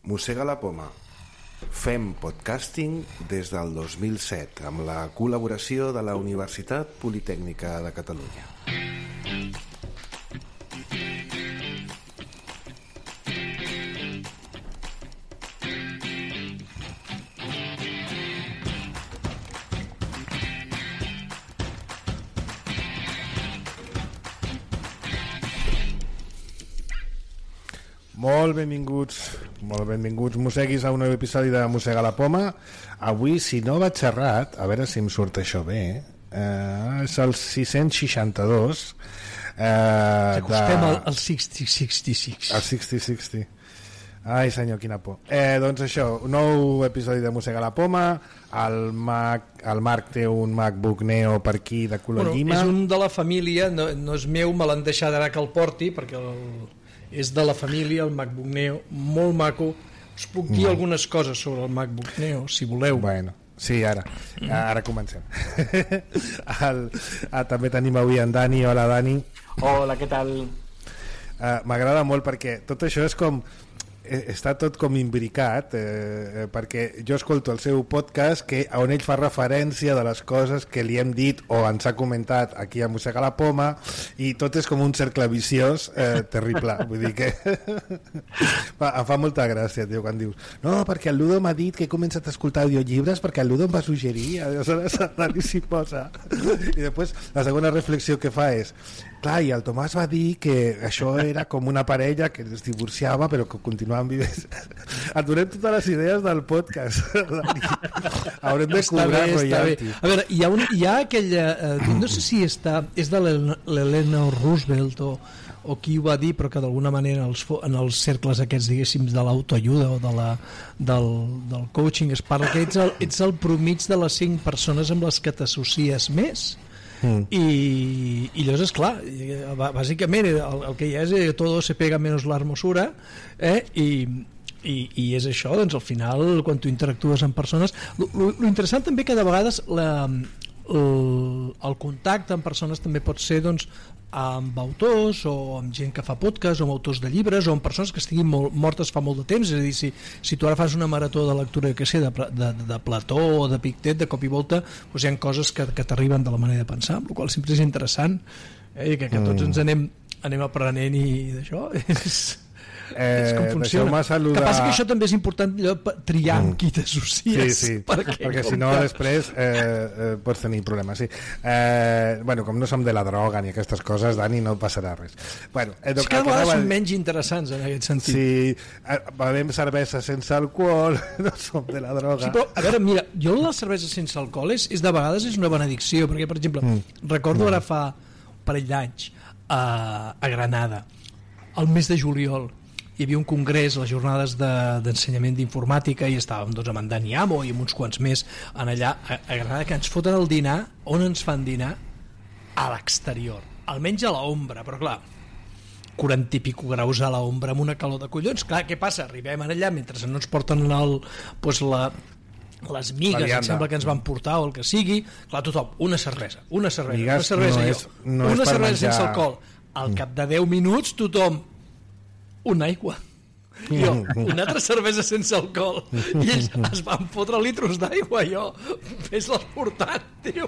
Mossega la poma. Fem podcasting des del 2007 amb la col·laboració de la Universitat Politècnica de Catalunya. Molt benvinguts mosseguis a un nou episodi de Mossega la poma. Avui, si no vaig errat, a veure si em surt això bé, és el 662. Acostem al 60-66. Al 60-60. Ai senyor, quina por. Doncs això, un nou episodi de Mossega la poma. El Marc té un MacBook Neo per aquí de color llima. És un de la família, no és meu, me l'han deixat ara que el porti perquè és de la família, el MacBook Neo, molt maco. Us puc dir algunes coses sobre el MacBook Neo, si voleu. Bueno, sí, ara comencem. També tenim avui en Dani. Hola, Dani. Hola, què tal? M'agrada molt perquè tot això és com... està tot com imbricat, perquè jo escolto el seu podcast on ell fa referència de les coses que li hem dit o ens ha comentat aquí a Mossega la poma, i tot és com un cercle viciós terrible. Vull dir que em fa molta gràcia, tio, quan dius no, perquè el Ludo m'ha dit que he començat a escoltar audiollibres perquè el Ludo em va suggerir, aleshores Dani s'hi posa, i després la segona reflexió que fa és clar, i el Tomàs va dir que això era com una parella que es divorciava però que continuaven vivint. Et donem totes les idees del podcast. Haurem de cobrar royalty. A veure, hi ha aquella no sé si és de l'Helena Roosevelt o qui ho va dir, però que d'alguna manera en els cercles aquests, diguéssim, de l'autoajuda o del coaching es parla que ets el promig de les 5 persones amb les que t'associes més. I llavors, esclar, bàsicament el que hi ha és todo se pega menos la hermosura, i és això, doncs al final quan tu interactues amb persones, lo interessant també que de vegades el contacte amb persones també pot ser doncs amb autors o amb gent que fa podcast o amb autors de llibres o amb persones que estiguin mortes fa molt de temps. És a dir, si tu ara fas una marató de lectura que sé, de Plató o de Pictet, de cop i volta doncs hi ha coses que t'arriben de la manera de pensar, amb la qual sempre és interessant, i que tots ens anem aprenent, i d'això és com funciona. Que passa que això també és important, triar amb qui t'associes, sí, perquè si no després pots tenir problemes, sí. Bueno, com no som de la droga ni aquestes coses, Dani, no passarà res. Bueno, és que a vegades són menys interessants en aquest sentit. Sí, bevem cervesa sense alcohol, no som de la droga. Sí, però, a veure, mira, jo la cervesa sense alcohol és de vegades és una benedicció, perquè per exemple recordo ara fa un parell d'anys a Granada, al mes de juliol, hi havia un congrés, les jornades d'ensenyament d'informàtica, i estàvem doncs amb en Dani Amo i amb uns quants més en allà a Granada, que ens foten el dinar. On ens fan dinar? A l'exterior, almenys a l'ombra, però clar, 40 i pico graus a l'ombra amb una calor de collons. Clar, què passa? Arribem allà mentre no ens porten les migues, em sembla que ens van portar o el que sigui. Clar, tothom, una cervesa sense alcohol. Al cap de 10 minuts tothom una aigua, jo una altra cervesa sense alcohol, i ells es van fotre litros d'aigua. Jo, vés-les portant, tio,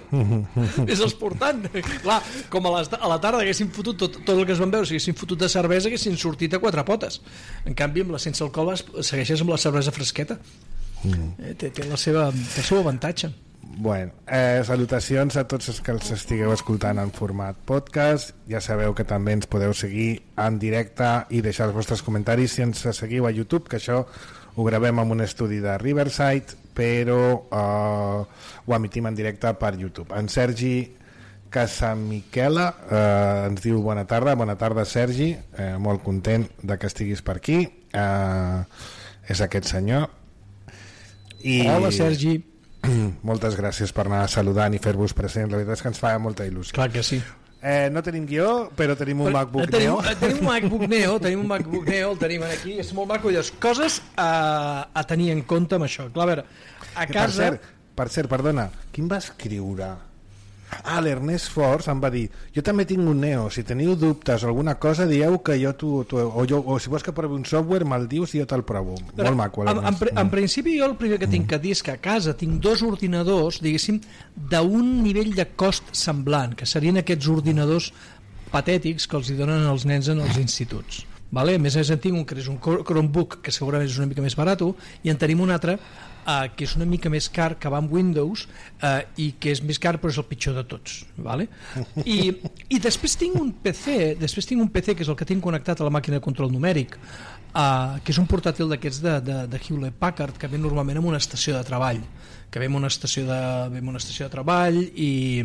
vés-les portant. Clar, com a la tarda haguessin fotut tot el que es van veure, si haguessin fotut de cervesa haguessin sortit a 4 potes. En canvi amb la sense alcohol segueixes amb la cervesa fresqueta. Té el seu avantatge. Bueno, salutacions a tots els que els estigueu escoltant en format podcast. Ja sabeu que també ens podeu seguir en directe i deixar els vostres comentaris si ens seguiu a YouTube, que això ho gravem en un estudi de Riverside, però ho emitim en directe per YouTube. En Sergi Casamiquela ens diu bona tarda Sergi, molt content de que estiguis per aquí. És aquest senyor. Hola Sergi. Moltes gràcies per anar saludant i fer-vos present. La veritat és que ens fa molta il·lusió. Clar que sí. No tenim guió, però tenim un MacBook Neo. Tenim un MacBook Neo, el tenim aquí, és molt maco. Les coses a tenir en compte amb això. Clar, a veure, a casa... Per cert, perdona, qui em va escriure l'Ernest Force em va dir, jo també tinc un Neo, si teniu dubtes o alguna cosa dieu que jo o si vols que provi un software me'l dius i jo te'l provo. Molt maco l'Ernest. En principi jo el primer que tinc que dir és que a casa tinc 2 ordinadors, diguéssim, d'un nivell de cost semblant, que serien aquests ordinadors patètics que els hi donen els nens en els instituts. Vale? A més en tinc un que és un Chromebook, que segurament és una mica més barat, i en tenim un altre que és una mica més car, que va amb Windows, i que és més car però és el pitjor de tots, vale? I després tinc un PC que és el que tinc connectat a la màquina de control numèric, que és un portàtil d'aquests de Hewlett Packard, que ve normalment en una estació de treball, i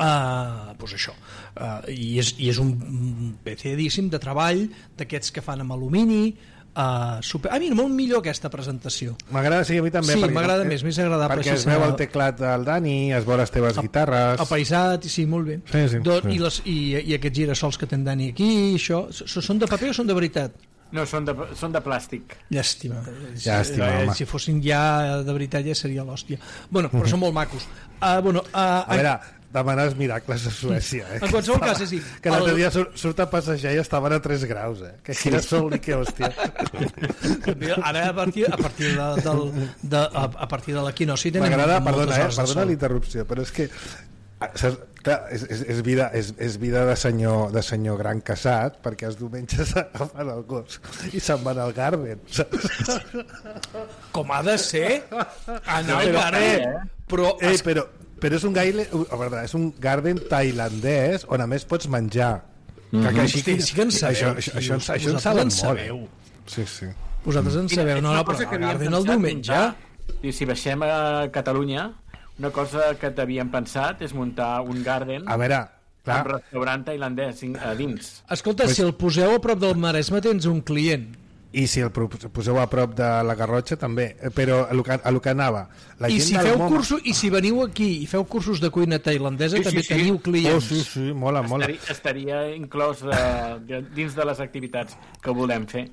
doncs això, i és un PC, diguéssim, de treball d'aquests que fan amb alumini. A mi molt millor aquesta presentació. M'agrada, sí, a mi també. Sí, m'agrada més agradable. Perquè es veu el teclat del Dani, es veu les teves guitarres. Apaisat, sí, molt bé. Sí. I aquests girassols que ten Dani aquí, això, són de paper o són de veritat? No, són de plàstic. Llàstima, home. si fossin ja de veritat ja seria l'hòstia. Bueno, però són molt macos. A veure, demanes miracles a Suècia, en qualsevol cas, és dir, que l'altre dia surt a passejar i estaven a 3 graus, que girasol i que hòstia. Ara a partir de l'equinoci m'agrada, perdona l'interrupció, però és que clar, és vida de senyor gran casat, perquè els diumenges agafen el gos i se'n van al Garden, saps? Com ha de ser anar al Garden, però és un garden tailandès on a més pots menjar. Sí que en sabeu. Això en saben molt. Sí. Vosaltres en sabeu, no, però el garden el diumenge. I si baixem a Catalunya, una cosa que t'havien pensat és muntar un garden amb restaurant tailandès a dins. Escolta, si el poseu a prop del Maresme tens un client. I si el poseu a prop de la Garrotxa també, però a lo que anava la i gent si veniu aquí i feu cursos de cuina tailandesa també teniu clients. Sí, mola. Estaria inclòs dins de les activitats que volem fer.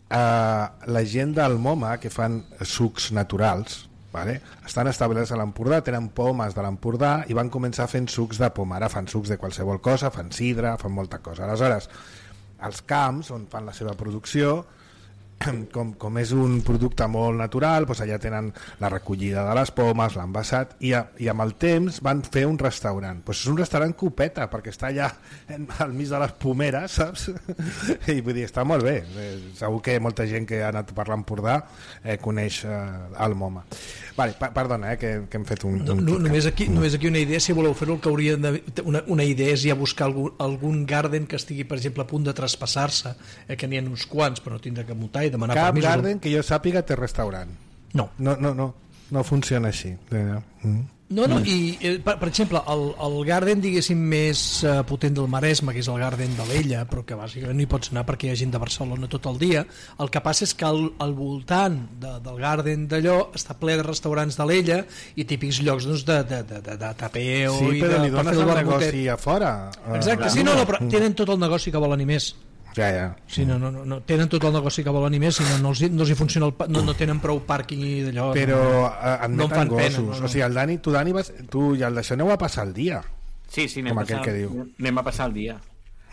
La gent del MoMA que fan sucs naturals, vale? Estan establerts a l'Empordà, tenen pomes de l'Empordà i van començar fent sucs de poma. Ara fan sucs de qualsevol cosa, fan sidra, fan molta cosa. Aleshores, als camps on fan la seva producció, com és un producte molt natural, doncs allà tenen la recollida de les pomes, l'envasat, i amb el temps van fer un restaurant. Doncs és un restaurant copeta, perquè està allà al mig de les pomeres, saps? I vull dir, està molt bé. Segur que molta gent que ha anat per l'Empordà coneix el MoMA. Vale, perdona, que hem fet un només aquí una idea, si voleu fer-ho, el que hauria una idea és ja buscar algun garden que estigui, per exemple, a punt de traspassar-se, que n'hi ha uns quants, però no tindrà que mutar i demanar cap permisos. garden que jo sàpiga té restaurant. No funciona així. I per exemple el garden, diguéssim, més potent del Maresme, que és el garden de l'Ella, però que bàsicament no hi pots anar perquè hi ha gent de Barcelona tot el dia. El que passa és que al voltant del garden d'allò està ple de restaurants de l'Ella i típics llocs de tapeo, sí, i però de li dones el negoci a fora. Exacte, però tenen tot el negoci que volen i més. Ja. Sí, no, tenen tot el negoci que volen i més, i no els hi funciona no tenen prou pàrquing i d'allò. Però admeten gossos. Pena, o sigui, el Dani, tu i el d'això aneu a passar el dia. Sí, anem a passar el dia.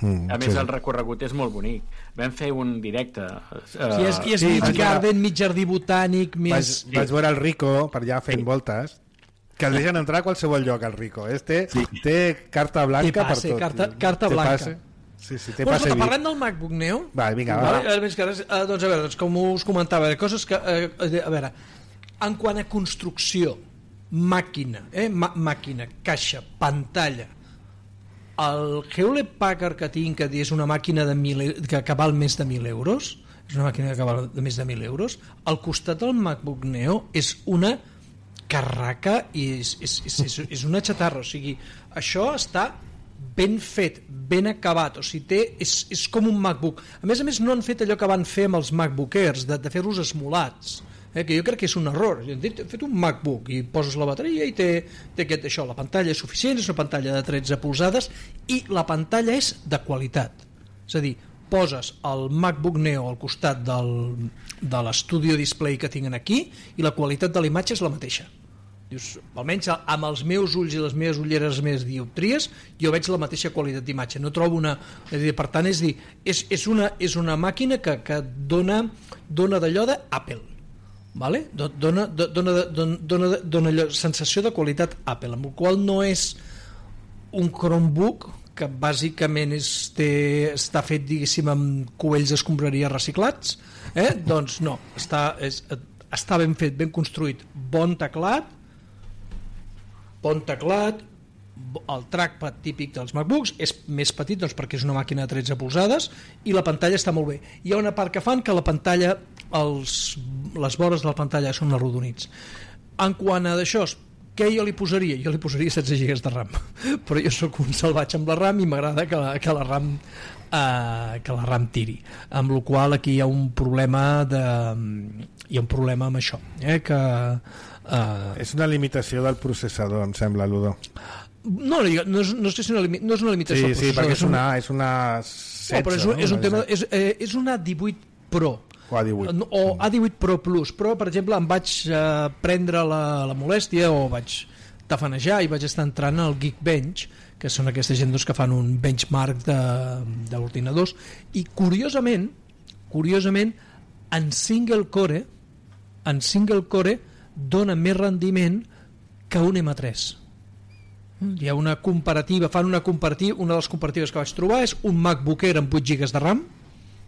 A més, el recorregut és molt bonic. Vam fer un directe. I és mig garden, mig jardí botànic, més... Vaig veure el Rico per allà fent voltes, que el deixen entrar a qualsevol lloc, el Rico. Té carta blanca per tot. Carta blanca. Sí, té passe VIP. Parlem del MacBook Neo. Va. Doncs a veure, com us comentava, coses que, a veure, en quant a construcció, màquina, caixa, pantalla, el Hewlett Packard que tinc, que és una màquina que val més de 1.000 euros, és una màquina que val més de 1.000 euros, al costat del MacBook Neo és una carraca i és una xatarra, o sigui, això està ben fet, ben acabat, o sigui, és com un MacBook. A més, no han fet allò que van fer amb els MacBook Airs, de fer-los esmolats, que jo crec que és un error. Han fet un MacBook i poses la bateria i té això, la pantalla és suficient, és una pantalla de 13 polzades i la pantalla és de qualitat. És a dir, poses el MacBook Neo al costat de l'Studio Display que tinguin aquí i la qualitat de la imatge és la mateixa. Dius, almenys amb els meus ulls i les meves ulleres, les meves dioptries, jo veig la mateixa qualitat d'imatge, no trobo una... Per tant, és una màquina que dona d'allò d'Apple, vale? Dona sensació de qualitat Apple, amb el qual no és un Chromebook que bàsicament està fet, diguéssim, amb cubells d'escombraria reciclats, doncs no, està ben fet, ben construït, bon teclat, el trackpad típic dels MacBooks és més petit, doncs, perquè és una màquina de 13 polzades, i la pantalla està molt bé. Hi ha una part que fan que la pantalla, les vores de la pantalla són arrodonits. En quant a d'això, què jo li posaria? Jo li posaria 16 GB de RAM, però jo sóc un salvatge amb la RAM i m'agrada que la RAM tiri, amb la qual cosa aquí hi ha un problema amb això, que és una limitació del processador, em sembla, Ludo. No és que sigui no és una limitació del processador. Sí, perquè és una 16, però és un tema, és una 18 Pro o A18 o A18 Pro Plus, però per exemple em vaig prendre la molèstia o vaig tafanejar i vaig estar entrant al Geekbench, que són aquesta gent que fan un benchmark d'ordinadors, i curiosament en single core dona més rendiment que un M3. Hi ha una comparativa, una de les comparatives que vaig trobar és un MacBook Air amb 8 GB de RAM,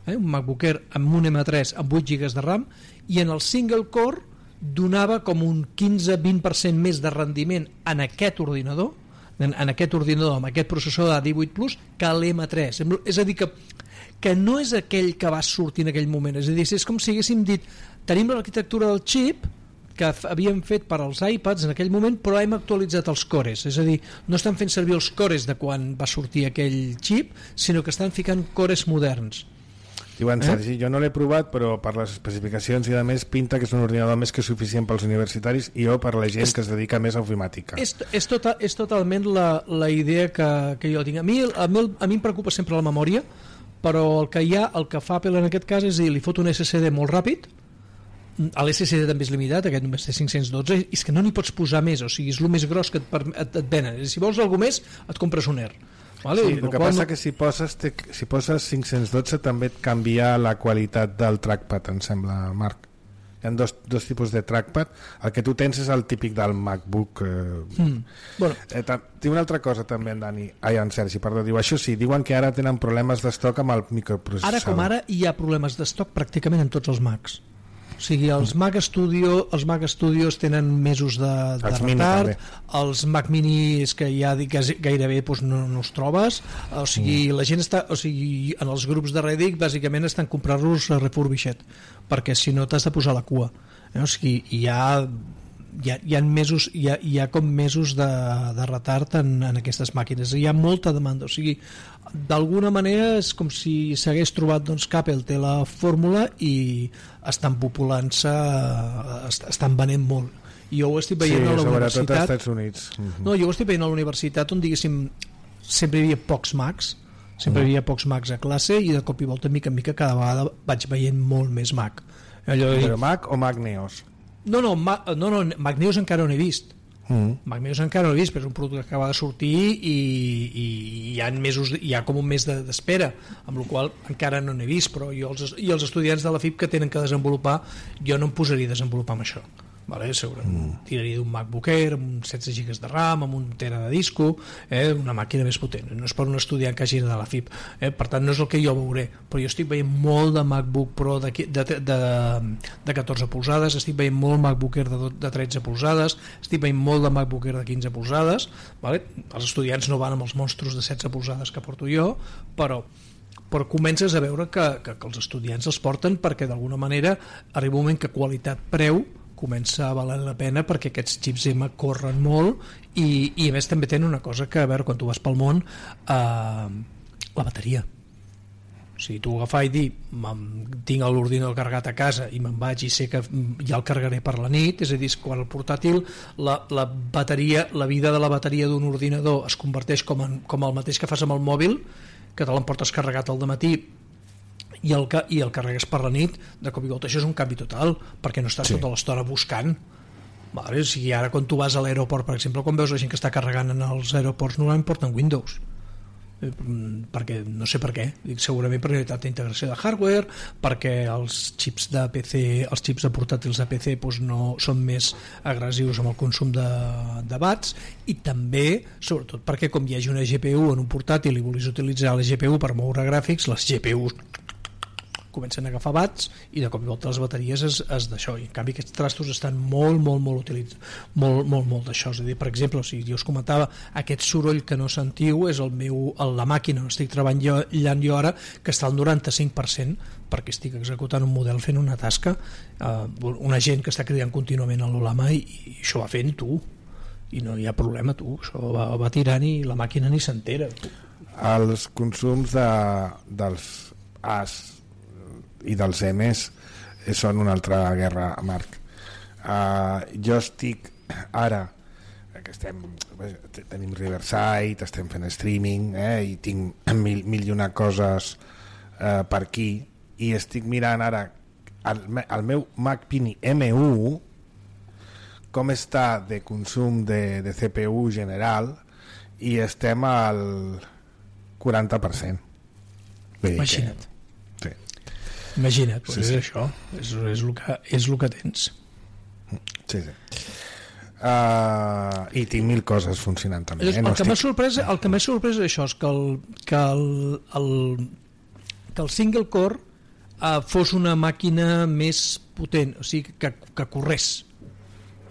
un MacBook Air amb un M3 amb 8 GB de RAM, i en el single core donava com un 15-20% més de rendiment en aquest ordinador amb aquest processor d'A18 Plus que l'M3. És a dir, que no és aquell que va sortir en aquell moment, és a dir, és com si haguéssim dit tenim l'arquitectura del xip que havíem fet per als iPads en aquell moment, però hem actualitzat els cores, és a dir, no estan fent servir els cores de quan va sortir aquell xip, sinó que estan ficant cores moderns. Diuen, Sergi, jo no l'he provat, però per les especificacions i a més pinta que és un ordinador més que suficient pels universitaris i jo per la gent que es dedica més a ofimàtica. És totalment la idea que jo tinc. A mi em preocupa sempre la memòria, però el que fa Apple en aquest cas és dir, li fot un SSD molt ràpid, l'SSD també és limitat, aquest només té 512, i és que no n'hi pots posar més, o sigui, és el més gros que et venen. Si vols alguna més, et compres un Air. Vale? Sí, el que passa que si poses 512 també et canvia la qualitat del trackpad, em sembla, Marc. Hi ha dos tipus de trackpad. El que tu tens és el típic del MacBook. Bueno. Tinc una altra cosa també, en Sergi, perdó, diu, això sí, diuen que ara tenen problemes d'estoc amb el microprocessador. Ara com ara hi ha problemes d'estoc pràcticament en tots els Macs. O sigui, els Mac Studios tenen mesos de retard, els Mac Mini és que ja gairebé no els trobes, o sigui, la gent està, o sigui, en els grups de Reddit bàsicament estan comprant-los refurbished, perquè si no t'has de posar la cua, o sigui, hi ha com mesos de retard en aquestes màquines, hi ha molta demanda, o sigui, d'alguna manera és com si s'hagués trobat que Apple té la fórmula i estan populant-se, estan venent molt. I jo ho estic veient a la universitat. Sobretot als Estats Units. No, jo ho estic veient a la universitat on, diguéssim, sempre hi havia pocs Macs, a classe, i de cop i volta, mica en mica, cada vegada vaig veient molt més Mac. Però Mac o Mac Neos? No, Mac Neos encara no he vist. Mac Neos encara no he vist, però és un producte que acaba de sortir i hi ha com un mes d'espera, amb la qual encara no n'he vist, però jo els estudiants de la FIP que tenen que desenvolupar, jo no em posaria a desenvolupar amb això. Vale, tiraria d'un MacBook Air amb 16 GB de RAM, amb un tera de disco, una màquina més potent. No és per un estudiant que hagi de la FIP, per tant no és el que jo veuré, però jo estic veient molt de MacBook Pro de 14 polzades, estic veient molt MacBook Air de 13 polzades, estic veient molt de MacBook Air de 15 polzades, vale? Els estudiants no van amb els monstros de 16 polzades que porto jo, però comences a veure que els estudiants els porten perquè d'alguna manera arriba un moment que qualitat-preu comença a valer la pena, perquè aquests xips M corren molt i a més també tenen una cosa que, a veure, quan tu vas pel món, la bateria. O sigui, tu agafar i dir tinc l'ordinador carregat a casa i me'n vaig i sé que ja el carregaré per la nit, és a dir, quan el portàtil la vida de la bateria d'un ordinador es converteix com el mateix que fas amb el mòbil, que te l'emportes carregat al dematí i el carregues per la nit, de cop i volta això és un canvi total, perquè no estàs tota l'estona buscant Vale, o sigui, ara quan tu vas a l'aeroport, per exemple, quan veus la gent que està carregant en els aeroports, normalment porten Windows, perquè no sé per què, dic, segurament per unitat d'integració de hardware, perquè els xips de PC, els xips de portàtils de PC doncs no són més agressius amb el consum de watts, i també, sobretot perquè com hi hagi una GPU en un portàtil i vulguis utilitzar la GPU per moure gràfics, les GPUs comencen a agafar watts i de cop i volta les bateries és d'això, i en canvi aquests trastos estan molt utilitzats, molt d'això. És a dir, per exemple, si jo us comentava, aquest soroll que no sentiu és la màquina on estic treballant jo ara, que està al 95% perquè estic executant un model fent una tasca, una gent que està cridant contínuament a l'Olama i això va fent tu, i no hi ha problema, tu, això va tirant i la màquina ni s'entera. Els consums dels As i dels M's són una altra guerra, Marc. Jo estic ara que tenim Riverside, estem fent streaming, i tinc mil i una coses per aquí, i estic mirant ara el meu Mac Mini M1 com està de consum de CPU general, i estem al 40%. Imagina't. Imagina't, doncs és això, és el que tens. Sí. I tinc mil coses funcionant també. El que m'ha sorprès és això, és que el single core fos una màquina més potent, o sigui, que corrés.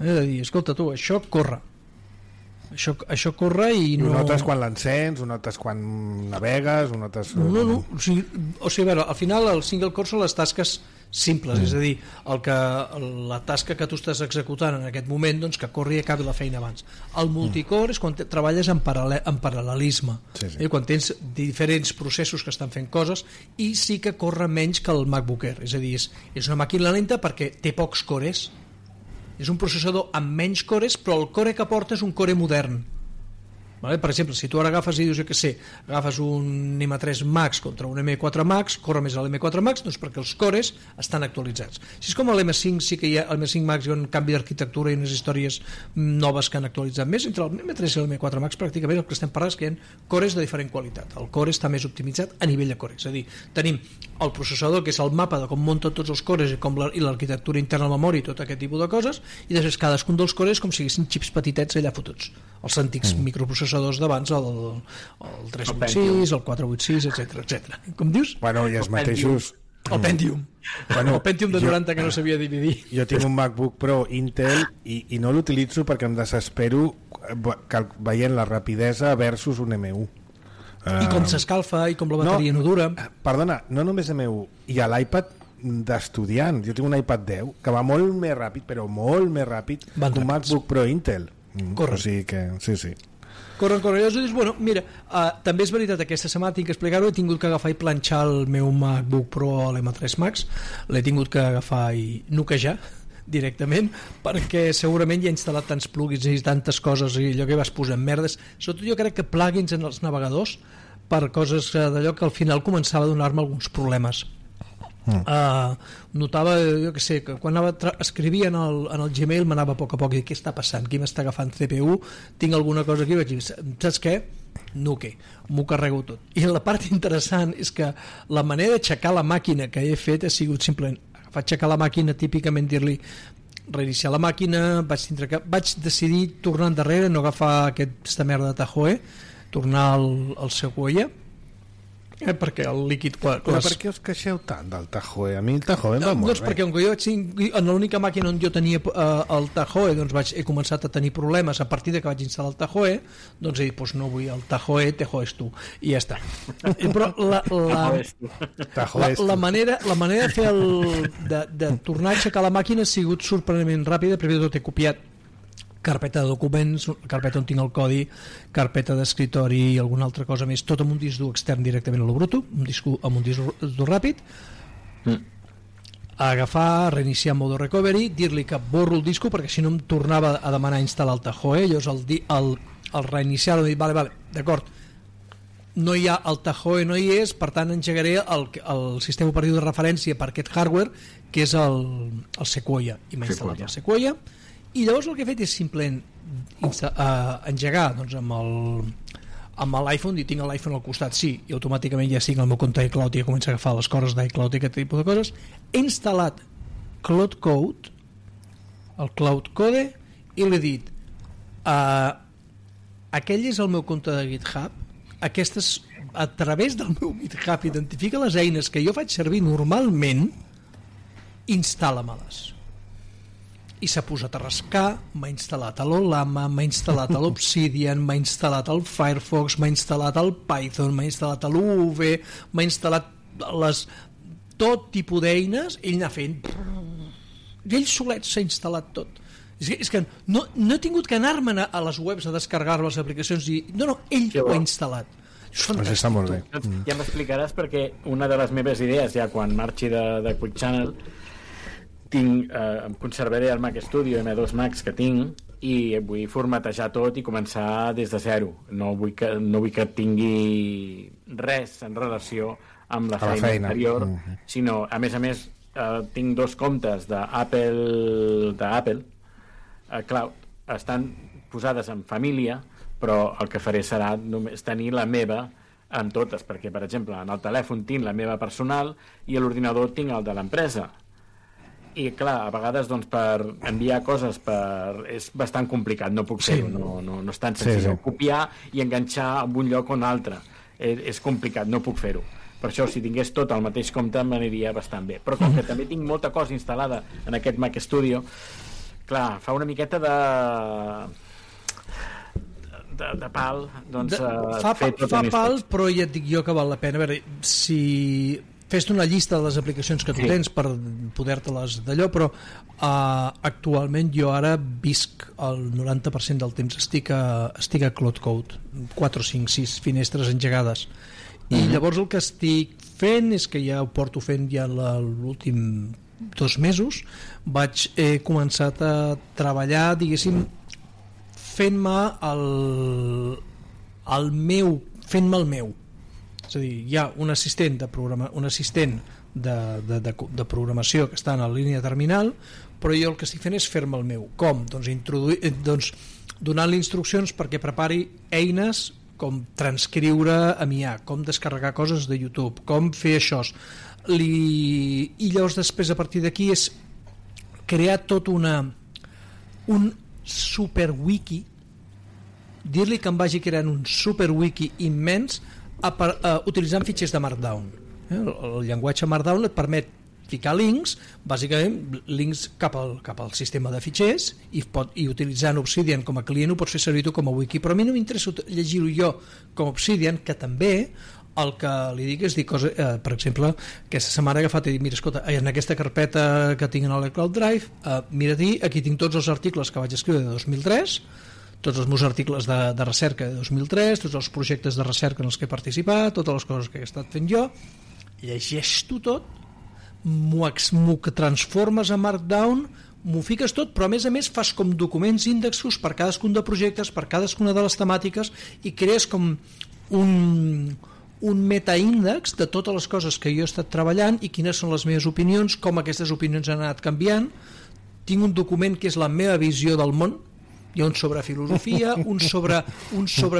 És a dir, escolta tu, això corre. Això corre i no... Ho notes quan l'encens, ho notes quan navegues, ho notes... No. O sigui, a veure, al final el single core són les tasques simples, és a dir, la tasca que tu estàs executant en aquest moment, doncs que corri i acabi la feina abans. El multicore és quan treballes en paral·lelisme, quan tens diferents processos que estan fent coses, i sí que corre menys que el MacBook Air, és a dir, és una màquina lenta perquè té pocs cores. És un processador amb menys cores, però el core que porta és un core modern. Vale? Per exemple, si tu ara agafes i dius, agafes un M3 Max contra un M4 Max, corre més l'M4 Max, doncs perquè els cores estan actualitzats. Si és com l'M5, sí que hi ha el M5 Max, hi ha un canvi d'arquitectura i unes històries noves que han actualitzat més. Entre l'M3 i l'M4 Max pràcticament el que estem parlant és que hi ha cores de diferent qualitat. El core està més optimitzat a nivell de core, és a dir, tenim el processador, que és el mapa de com munten tots els cores i l'arquitectura interna a la memòria i tot aquest tipus de coses, i després cadascun dels cores com si haguessin xips petitets allà fotuts, els antics microprocessadors d'abans, el 386, el 486, etc. Com dius? Bueno, i els mateixos... El Pentium. El Pentium de 90 que no sabia dividir. Jo tinc un MacBook Pro Intel i no l'utilitzo perquè em desespero veient la rapidesa versus un M1. I com s'escalfa i com la bateria no dura. Perdona, no només M1, i a l'iPad d'estudiant, jo tinc un iPad 10 que va molt més ràpid, però molt més ràpid que un MacBook Pro Intel. Corre. O sigui que, sí. Corren. Llavors, bueno, mira, també és veritat, aquesta setmana tinc que explicar-ho, he tingut que agafar i planxar el meu MacBook Pro a l'M3 Max, l'he tingut que agafar i noquejar directament, perquè segurament hi ha instal·lat tants plugins i tantes coses i allò que vas posar en merdes, sobretot jo crec que plugins en els navegadors per coses d'allò que al final començava a donar-me alguns problemes. Notava, jo que sé, que quan escrivia en el Gmail m'anava a poc a poc i què està passant, qui m'està agafant CPU, tinc alguna cosa aquí, vaig dir, saps què? Nuke, m'ho carrego tot. I la part interessant és que la manera d'aixecar la màquina que he fet ha sigut simplement agafar, aixecar la màquina, típicament dir-li reiniciar la màquina, vaig decidir tornar endarrere, no agafar aquesta merda de Tahoe, tornar al Sequoia, perquè el líquid... Però per què us queixeu tant del Tahoe? A mi el Tahoe em va molt bé. Perquè en l'única màquina on jo tenia el Tahoe, doncs he començat a tenir problemes a partir de que vaig instal·lar el Tahoe, doncs he dit, doncs no vull el Tahoe és tu, i ja està. Però la manera de fer de tornar a aixecar la màquina ha sigut sorprenentment ràpida. Primer de tot he copiat carpeta de documents, carpeta on tinc el codi, carpeta d'escritori i alguna altra cosa més, tot amb un disc dur extern directament a lo bruto, amb un disc dur ràpid, agafar, reiniciar en modo recovery, dir-li que borro el disco perquè si no em tornava a demanar instal·lar el Tahoe. Llavors el reiniciar-lo he dit, vale, d'acord, no hi ha el Tahoe, no hi és, per tant engegaré el sistema operatiu de referència per aquest hardware, que és el Sequoia, i m'ha instal·lat el Sequoia I llavors el que he fet és simplement engegar doncs, amb l'iPhone, i tinc l'iPhone al costat, sí, i automàticament ja estic al meu compte iCloud i ja comença a agafar les coses d'iCloud i aquest tipus de coses. He instal·lat Cloud Code, el Cloud Code, i l'he dit aquell és el meu compte de GitHub, aquestes, a través del meu GitHub identifica les eines que jo faig servir normalment, instal·la-me-les. I s'ha posat a rascar, m'ha instal·lat l'Olama, m'ha instal·lat l'Obsidian, m'ha instal·lat el Firefox, m'ha instal·lat el Python, m'ha instal·lat l'UV, m'ha instal·lat tot tipus d'eines, ell n'ha fent i ell solet s'ha instal·lat tot. És que no he tingut que anar-me'n a les webs a descarregar les aplicacions i no, ell ho ha instal·lat. Pues està molt bé. Ja m'explicaràs, perquè una de les meves idees ja quan marxi de Quick Channel em conservaré el Mac Studio M2 Max que tinc i vull formatejar tot i començar des de zero. No vull que tingui res en relació amb la feina anterior, sinó, a més, tinc 2 comptes d'Apple Cloud, estan posades en família, però el que faré serà només tenir la meva en totes, perquè, per exemple, en el telèfon tinc la meva personal i a l'ordinador tinc el de l'empresa. I clar, a vegades doncs, per enviar coses és bastant complicat, no puc fer-ho, no és tan senzill. Copiar i enganxar en un lloc o un altre és complicat, no puc fer-ho. Per això, si tingués tot al mateix compte m'aniria bastant bé, però com que també tinc molta cosa instal·lada en aquest Mac Studio, clar, fa una miqueta de pal, doncs fa pal, però ja et dic jo que val la pena. A veure, si fes-te una llista de les aplicacions que tu tens per poder-te-les d'allò, però actualment jo ara visc el 90% del temps estic a Cloud Code, 4, 5, 6 finestres engegades, i llavors el que estic fent és que ja ho porto fent ja l'últim 2 mesos. He començat a treballar, diguéssim, fent-me el meu. És a dir, hi ha un assistent de programació que està en la línia terminal, però jo el que estic fent és fer-me el meu. Com? Doncs donant-li instruccions perquè prepari eines com transcriure a IA, com descarregar coses de YouTube, com fer això. I llavors després a partir d'aquí és crear tot un superwiki, dir-li que em vagi creant un superwiki immens utilitzant fitxers de Markdown. El llenguatge Markdown et permet ficar links, bàsicament links cap al sistema de fitxers, i utilitzant Obsidian com a client ho pots fer servir tu com a wiki, però a mi no m'interessa llegir-ho jo com Obsidian, que també el que li dic és dir coses, per exemple, aquesta setmana he agafat i dic, mira, escolta, en aquesta carpeta que tinc en el Cloud Drive, mira-t'hi, aquí tinc tots els articles que vaig escriure de 2003, tots els meus articles de recerca de 2003, tots els projectes de recerca en els que he participat, totes les coses que he estat fent jo, llegeix-t'ho tot, m'ho transformes a Markdown, m'ho fiques tot, però a més fas com documents índexos per cadascun de projectes, per cadascuna de les temàtiques, i crees com un metaíndex de totes les coses que jo he estat treballant i quines són les meves opinions, com aquestes opinions han anat canviant. Tinc un document que és la meva visió del món, hi ha un sobre filosofia, un sobre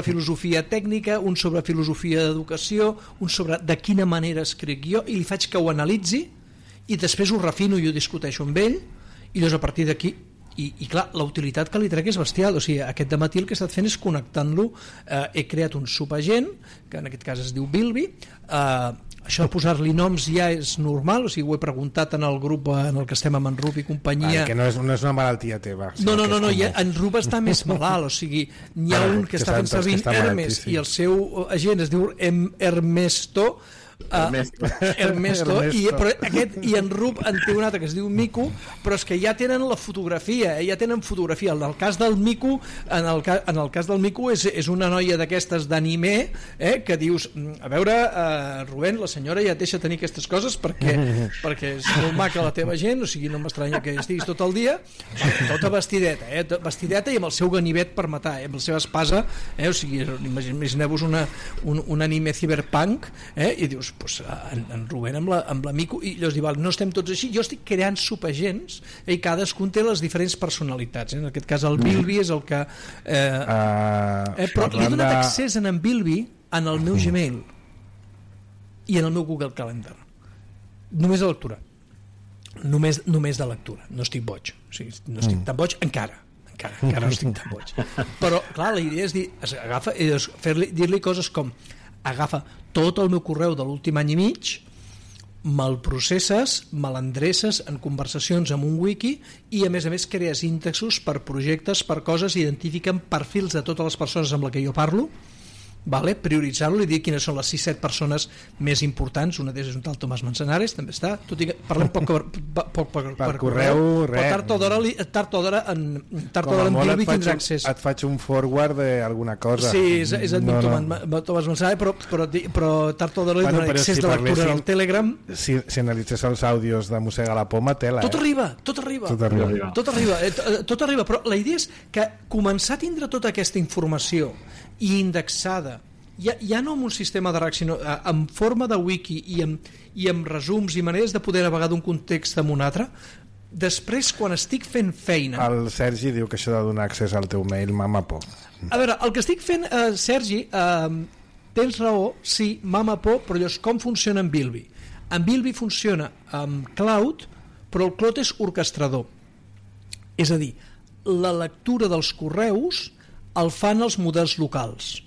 filosofia tècnica, un sobre filosofia d'educació, un sobre de quina manera escric jo, i li faig que ho analitzi i després ho refino i ho discuteixo amb ell, i llavors a partir d'aquí i clar, la utilitat que li trec és bestial. O sigui, aquest dematí el que he estat fent és connectant-lo. He creat un subagent que en aquest cas es diu Bilby. Això de posar-li noms ja és normal, o sigui, ho he preguntat en el grup en el que estem amb en Rup i companyia. Que no és una malaltia teva. No, en Rup està més malalt, o sigui, n'hi ha un que està fent servir Hermes i el seu agent es diu Ernesto, i en Rup en té un altre que es diu Mico, però és que ja tenen la fotografia, ja tenen fotografia. En el cas del Mico, és una noia d'aquestes d'anime, que dius, a veure, Rubén, la senyora ja et deixa tenir aquestes coses perquè és molt maca la teva gent, o sigui, no m'estranya que estiguis tot el dia tota vestideta i amb el seu ganivet per matar, amb la seva espasa, o sigui, imagineu-vos un anime cyberpunk, i dius, en Rubén amb l'Amico, i llavors diu, no estem tots així, jo estic creant subagents i cadascun té les diferents personalitats, en aquest cas el Bilby és el que però li he donat accés en Bilby en el meu Gmail i en el meu Google Calendar, només de lectura, només de lectura, no estic boig, o sigui, no estic tan boig encara no estic tan boig, però clar, la idea és dir-li coses com agafa tot el meu correu de l'últim any i mig, me'l processes, me l'endreces en conversacions amb un wiki i a més crees índexos per projectes, per coses, identifiquen perfils de totes les persones amb les que jo parlo, vale? Prioritzar-lo i dir quines són les 6-7 persones més importants. Una d'elles és un tal Tomàs Manzanares, també està, tot i que parlem poc per correu, però tard o d'hora en Bilby tindrà accés. Et faig un forward d'alguna cosa. Sí, és admin Tomàs Manzanares, però tard o d'hora li donarà accés de lectura al Telegram. Si analitzés els àudios de Mossega la Poma, tela. Tot arriba, però la idea és que començar a tindre tota aquesta informació i indexada, ja no amb un sistema de RAC, sinó en forma de wiki i amb resums i maneres de poder navegar d'un context amb un altre, després quan estic fent feina... El Sergi diu que això de donar accés al teu mail mama por. A veure, el que estic fent, Sergi, tens raó, sí, mama por, però llavors com funciona en Bilby? En Bilby funciona amb Cloud, però el Cloud és orquestrador, és a dir, la lectura dels correus el fan els models locals.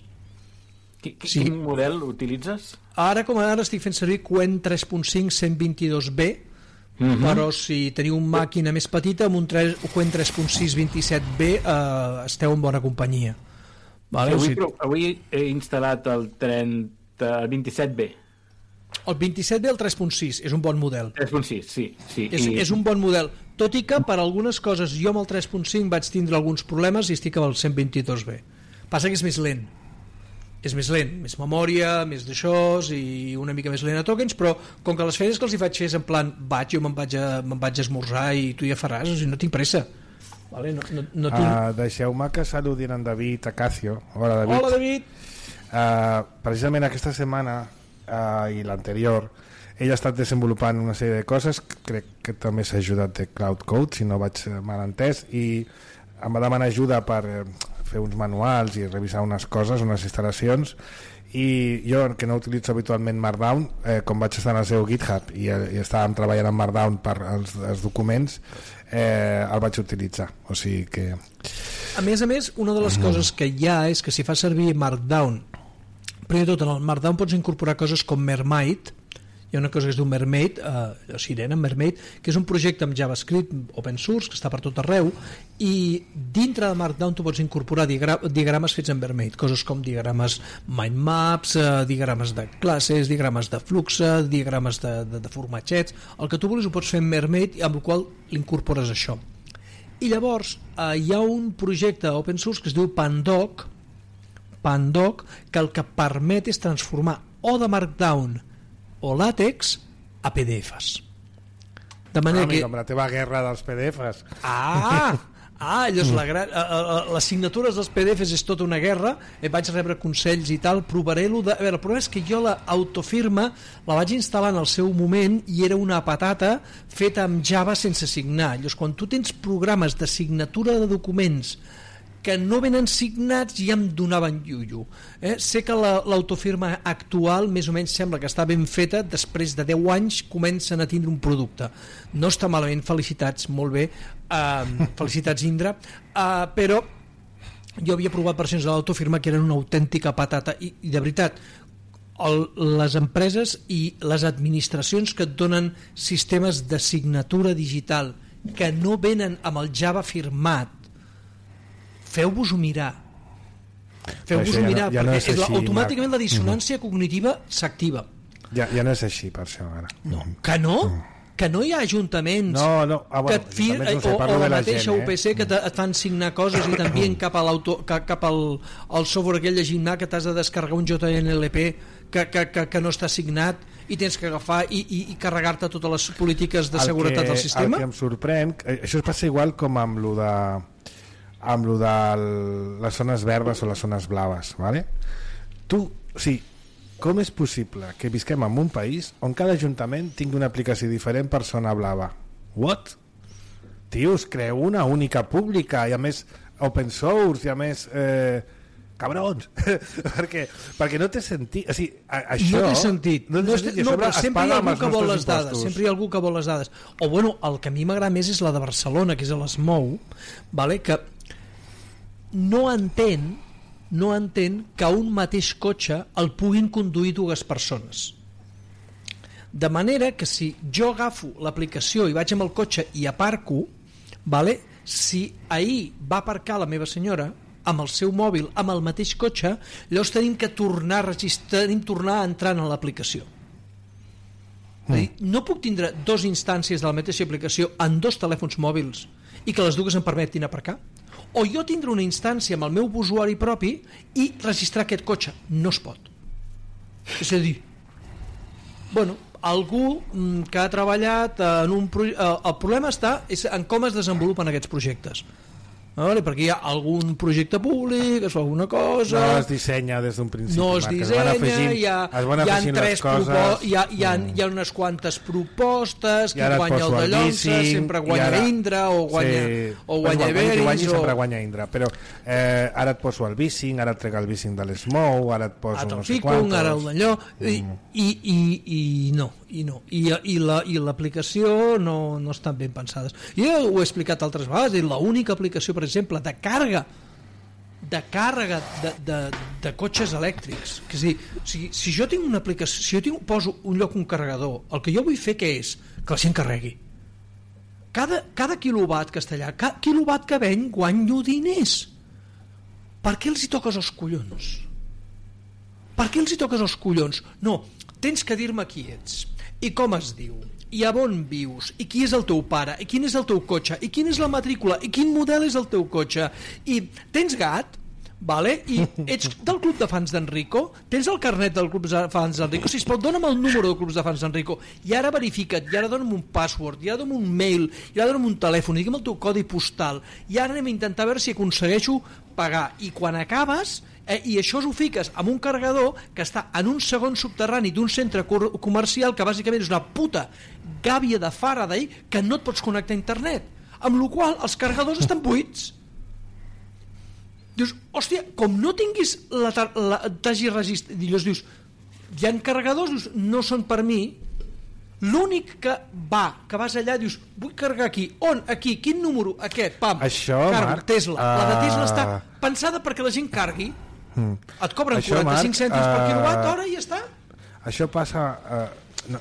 Quin model utilitzes? Ara estic fent servir Qwen 3.5 122B, però si teniu una màquina més petita amb un Qwen 3.6 27B esteu en bona companyia. Vale? Avui he instal·lat el 27B. El 27B, el 3.6, és un bon model. 3.6, sí. És un bon model, tot i que per algunes coses jo amb el 3.5 vaig tindre alguns problemes i estic amb el 122B. Passa que és més lent, més memòria, més d'això i una mica més lent a tokens, però com que les feines que els hi faig fer és en plan jo me'n vaig a esmorzar i tu ja faràs, o sigui, no tinc pressa. Vale? No tinc... Deixeu-me que saludin en David Acacio. Hola, David. Hola, David. Precisament aquesta setmana i l'anterior ell ha estat desenvolupant una sèrie de coses, crec que també s'ha ajudat de Cloud Code, si no vaig mal entès, i em va demanar ajuda per fer uns manuals i revisar unes coses, unes instal·lacions, i jo, que no utilitzo habitualment Markdown, com vaig estar en el seu GitHub i estàvem treballant en Markdown per als documents, el vaig utilitzar, o sigui que... A més, una de les coses que hi ha és que si fa servir Markdown, primer de tot, en el Markdown pots incorporar coses com Mermaid. Hi ha una cosa que es diu Mermaid, Sirena, Mermaid, que és un projecte amb JavaScript open source, que està per tot arreu, i dintre de Markdown tu pots incorporar diagrames fets en Mermaid, coses com diagrames mind maps, diagrames de classes, diagrames de flux, diagrames de formatgets, el que tu vulguis ho pots fer en Mermaid, amb el qual l'incorpores això. I llavors hi ha un projecte open source que es diu Pandoc, que el que permet és transformar o de Markdown o LaTeX a PDFs. De manera que... amb la teva guerra dels PDFs. Llavors les signatures dels PDFs és tota una guerra, vaig rebre consells i tal, provaré-lo de... A veure, el problema és que jo l'autofirma la vaig instal·lar en el seu moment i era una patata feta amb Java sense signar. Llavors, quan tu tens programes de signatura de documents que no venen signats, ja em donaven llullo. Sé que l'autofirma actual més o menys sembla que està ben feta, després de 10 anys comencen a tindre un producte. No està malament, felicitats, molt bé, felicitats Indra, però jo havia provat versions de l'autofirma que eren una autèntica patata i de veritat, les empreses i les administracions que et donen sistemes de signatura digital que no venen amb el Java firmat, feu-vos-ho mirar, perquè no és així, automàticament la dissonància cognitiva s'activa. Ja no és així, per això ara. Que no? Que no hi ha ajuntaments que et firen, o la mateixa UPC que et fan signar coses i t'envien cap al software aquell de Gimna que t'has de descarregar un JNLP que no està signat i tens que agafar i carregar-te totes les polítiques de seguretat del sistema. El que em sorprèn, això es passa igual com amb lo de les zones verdes o les zones blaves, ¿vale? Tu, sí, com és possible que visquem en un país on cada ajuntament tingui una aplicació diferent per zona blava? What? Tios, creu una única pública i a més open source i a més cabrons perquè no té sentit, o sigui, això no té sentit, però sempre hi ha algú que vol les dades, sempre hi ha algú que vol les dades, o bueno, el que a mi m'agrada més és la de Barcelona, que és l'Smou, vale? Que no entén que un mateix cotxe el puguin conduir dues persones, de manera que si jo agafo l'aplicació i vaig amb el cotxe i aparco, vale? Si ahir va aparcar la meva senyora amb el seu mòbil, amb el mateix cotxe, llavors tenim que tornar a registrar, tornar a entrar en l'aplicació. No puc tindre dues instàncies de la mateixa aplicació en dos telèfons mòbils i que les dues em permetin aparcar? O jo tindré una instància amb el meu usuari propi i registrar aquest cotxe? No es pot. És a dir, bueno, algú que ha treballat en un projecte, el problema està en com es desenvolupen aquests projectes, vale? Perquè hi ha algun projecte públic, es fa alguna cosa, no es dissenya des d'un principi, no es dissenya, hi ha unes quantes propostes, qui guanya el de Llonsa sempre guanya Indra o guanya Everis sempre guanya Indra, però ara et poso el bicing, ara et trec el bicing de l'Smou, ara et poso no sé quantos, ara el d'allò i l'aplicació no estan ben pensades. Jo ho he explicat altres vegades, és l'única aplicació, per exemple, de càrrega de cotxes elèctrics, que és a dir, si jo tinc una aplicació, si jo poso un lloc un carregador, el que jo vull fer què és? Que la gent carregui. Cada quilowatt que està allà, cada quilowatt que venc guanyo diners. Per què els hi toques els collons? Per què els hi toques els collons? No, tens que dir-me qui ets i com es diu i a on vius i qui és el teu pare i quin és el teu cotxe i quina és la matrícula i quin model és el teu cotxe i tens gat, vale? I ets del club de fans d'Enrico, tens el carnet del club de fans d'Enrico, si es pot dona'm el número del club de fans d'Enrico i ara verifica't, i ara dona'm un password i ara dona'm un mail, i ara dona'm un telèfon i digue'm el teu codi postal i ara anem a intentar veure si aconsegueixo pagar, i quan acabes i això ho fiques amb un carregador que està en un segon subterrani d'un centre comercial que bàsicament és una puta gàbia de Faraday que no et pots connectar a internet, amb la qual els carregadors estan buits. Dius, hòstia, com no tinguis t'hagi registrat, dius, hi ha carregadors, dius, no són per mi. L'únic que vas allà, dius, vull carregar aquí, on, aquí, quin número, aquest, pam, això, cargo, Marc, Tesla, la de Tesla està pensada perquè la gent cargui, et cobren això, 45 Marc, cèntims per quilowatt hora i ja està. Això passa,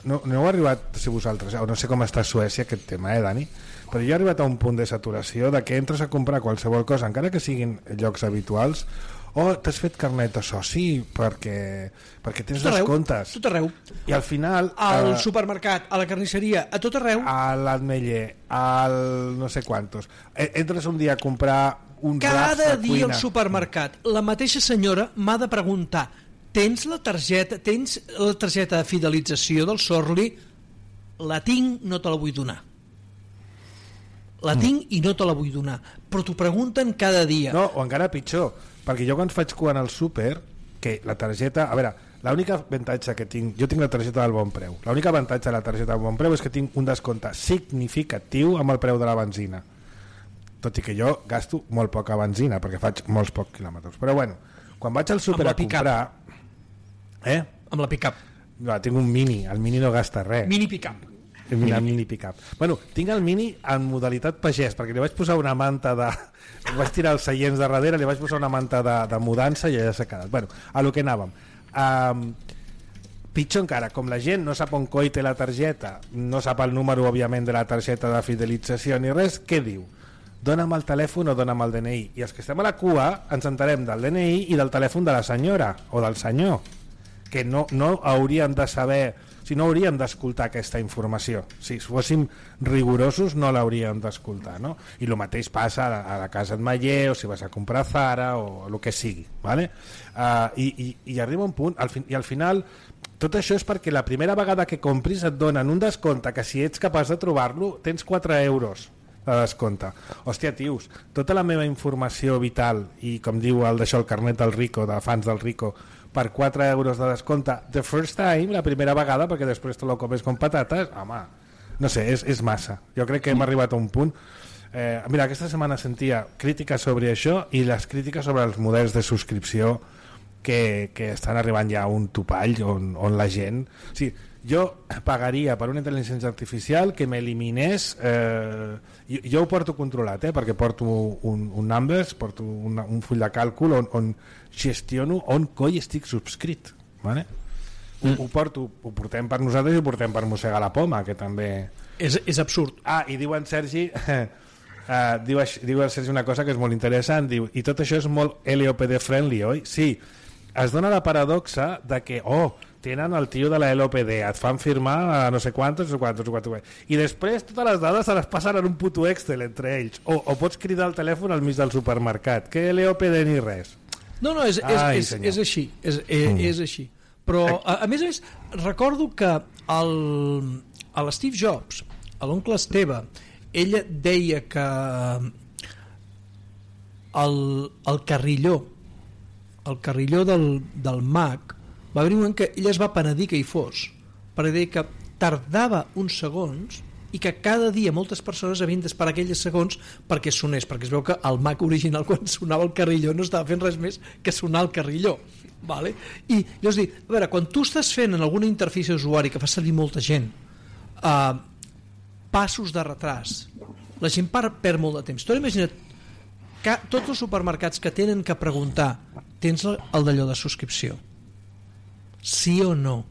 no heu arribat, si vosaltres, no sé com està a Suècia aquest tema, Dani, però jo he arribat a un punt de saturació de que entres a comprar qualsevol cosa, encara que siguin llocs habituals, t'has fet carnet de soci perquè tens descomptes. Tot arreu. I al final... Al supermercat, a la carnisseria, a tot arreu. A l'Ametller, al no sé quantos. Entres un dia a comprar un raps de cuina. Cada dia al supermercat, la mateixa senyora m'ha de preguntar, tens la targeta de fidelització del Sorli? La tinc, no te la vull donar. La tinc i no te la vull donar. Però t'ho pregunten cada dia. No, o encara pitjor, perquè jo quan faig cua al súper, que la targeta... A veure, l'única avantatge que tinc... Jo tinc la targeta del Bon Preu. L'únic avantatge de la targeta del Bon Preu és que tinc un descompte significatiu amb el preu de la benzina. Tot i que jo gasto molt poca benzina, perquè faig molts pocs quilòmetres. Però bueno, quan vaig al súper a comprar... Amb la pick-up. No, tinc un Mini. El Mini no gasta res. Mini pick-up. Mini pick-up. Bueno, tinc el Mini en modalitat pagès, perquè li vaig posar una manta de... Vaig tirar els seients de darrere, li vaig posar una manta de mudança i ja s'ha quedat. Bueno, a lo que anàvem. Pitjor encara, com la gent no sap on coi té la targeta, no sap el número, òbviament, de la targeta de fidelització ni res, què diu? Dona'm el telèfon o dona'm el DNI. I els que estem a la cua ens enterem del DNI i del telèfon de la senyora o del senyor, que no hauríem de saber... Si no hauríem d'escoltar aquesta informació. Si fóssim rigorosos no l'hauríem d'escoltar, no? I el mateix passa a la casa d'Ametller o si vas a comprar Zara o el que sigui, ¿vale? I arriba un punt i al final tot això és perquè la primera vegada que compris et donen un descompte que si ets capaç de trobar-lo tens 4 euros de descompte. Hòstia, tios, tota la meva informació vital i, com diu el d'això, el carnet del Rico, de fans del Rico, per 4 euros de descompte the first time, la primera vegada, perquè després te lo comes con patates, home, no sé, és massa. Jo crec que hem arribat a un punt. Mira, aquesta setmana sentia crítiques sobre això i les crítiques sobre els models de subscripció que estan arribant ja a un topall on la gent... O sigui, jo pagaria per una intel·ligència artificial que m'eliminés... jo ho porto controlat, perquè porto un numbers, porto un full de càlcul on gestiono on coi estic subscrit. Vale? Ho portem per nosaltres i ho portem per mossegar la poma, que també... És absurd. I diu en Sergi... diu el Sergi una cosa que és molt interessant, diu, i tot això és molt LOPD friendly, oi? Sí, es dona la paradoxa de que tenen el tio de la LOPD, et fan firmar no sé quantos, i després totes les dades se les passen en un puto Excel entre ells, o pots cridar al telèfon al mig del supermercat, que LOPD ni res. No, és així, és així. Però a més recordo que l'Steve Jobs, l'oncle Esteve, ella deia que el carrilló del Mac va haver un moment que ella es va penedir que hi fos, perquè deia que tardava uns segons i que cada dia moltes persones havien d'esperar aquells segons perquè sonés, perquè es veu que el Mac original quan sonava el carrilló no estava fent res més que sonar el carrilló, vale? I llavors dic, a veure, quan tu estàs fent en alguna interfície d'usuari que fa servir molta gent passos de retras, la gent perd molt de temps. Tu imagina't que tots els supermercats que tenen que preguntar, tens el d'allò de subscripció? Sí o no?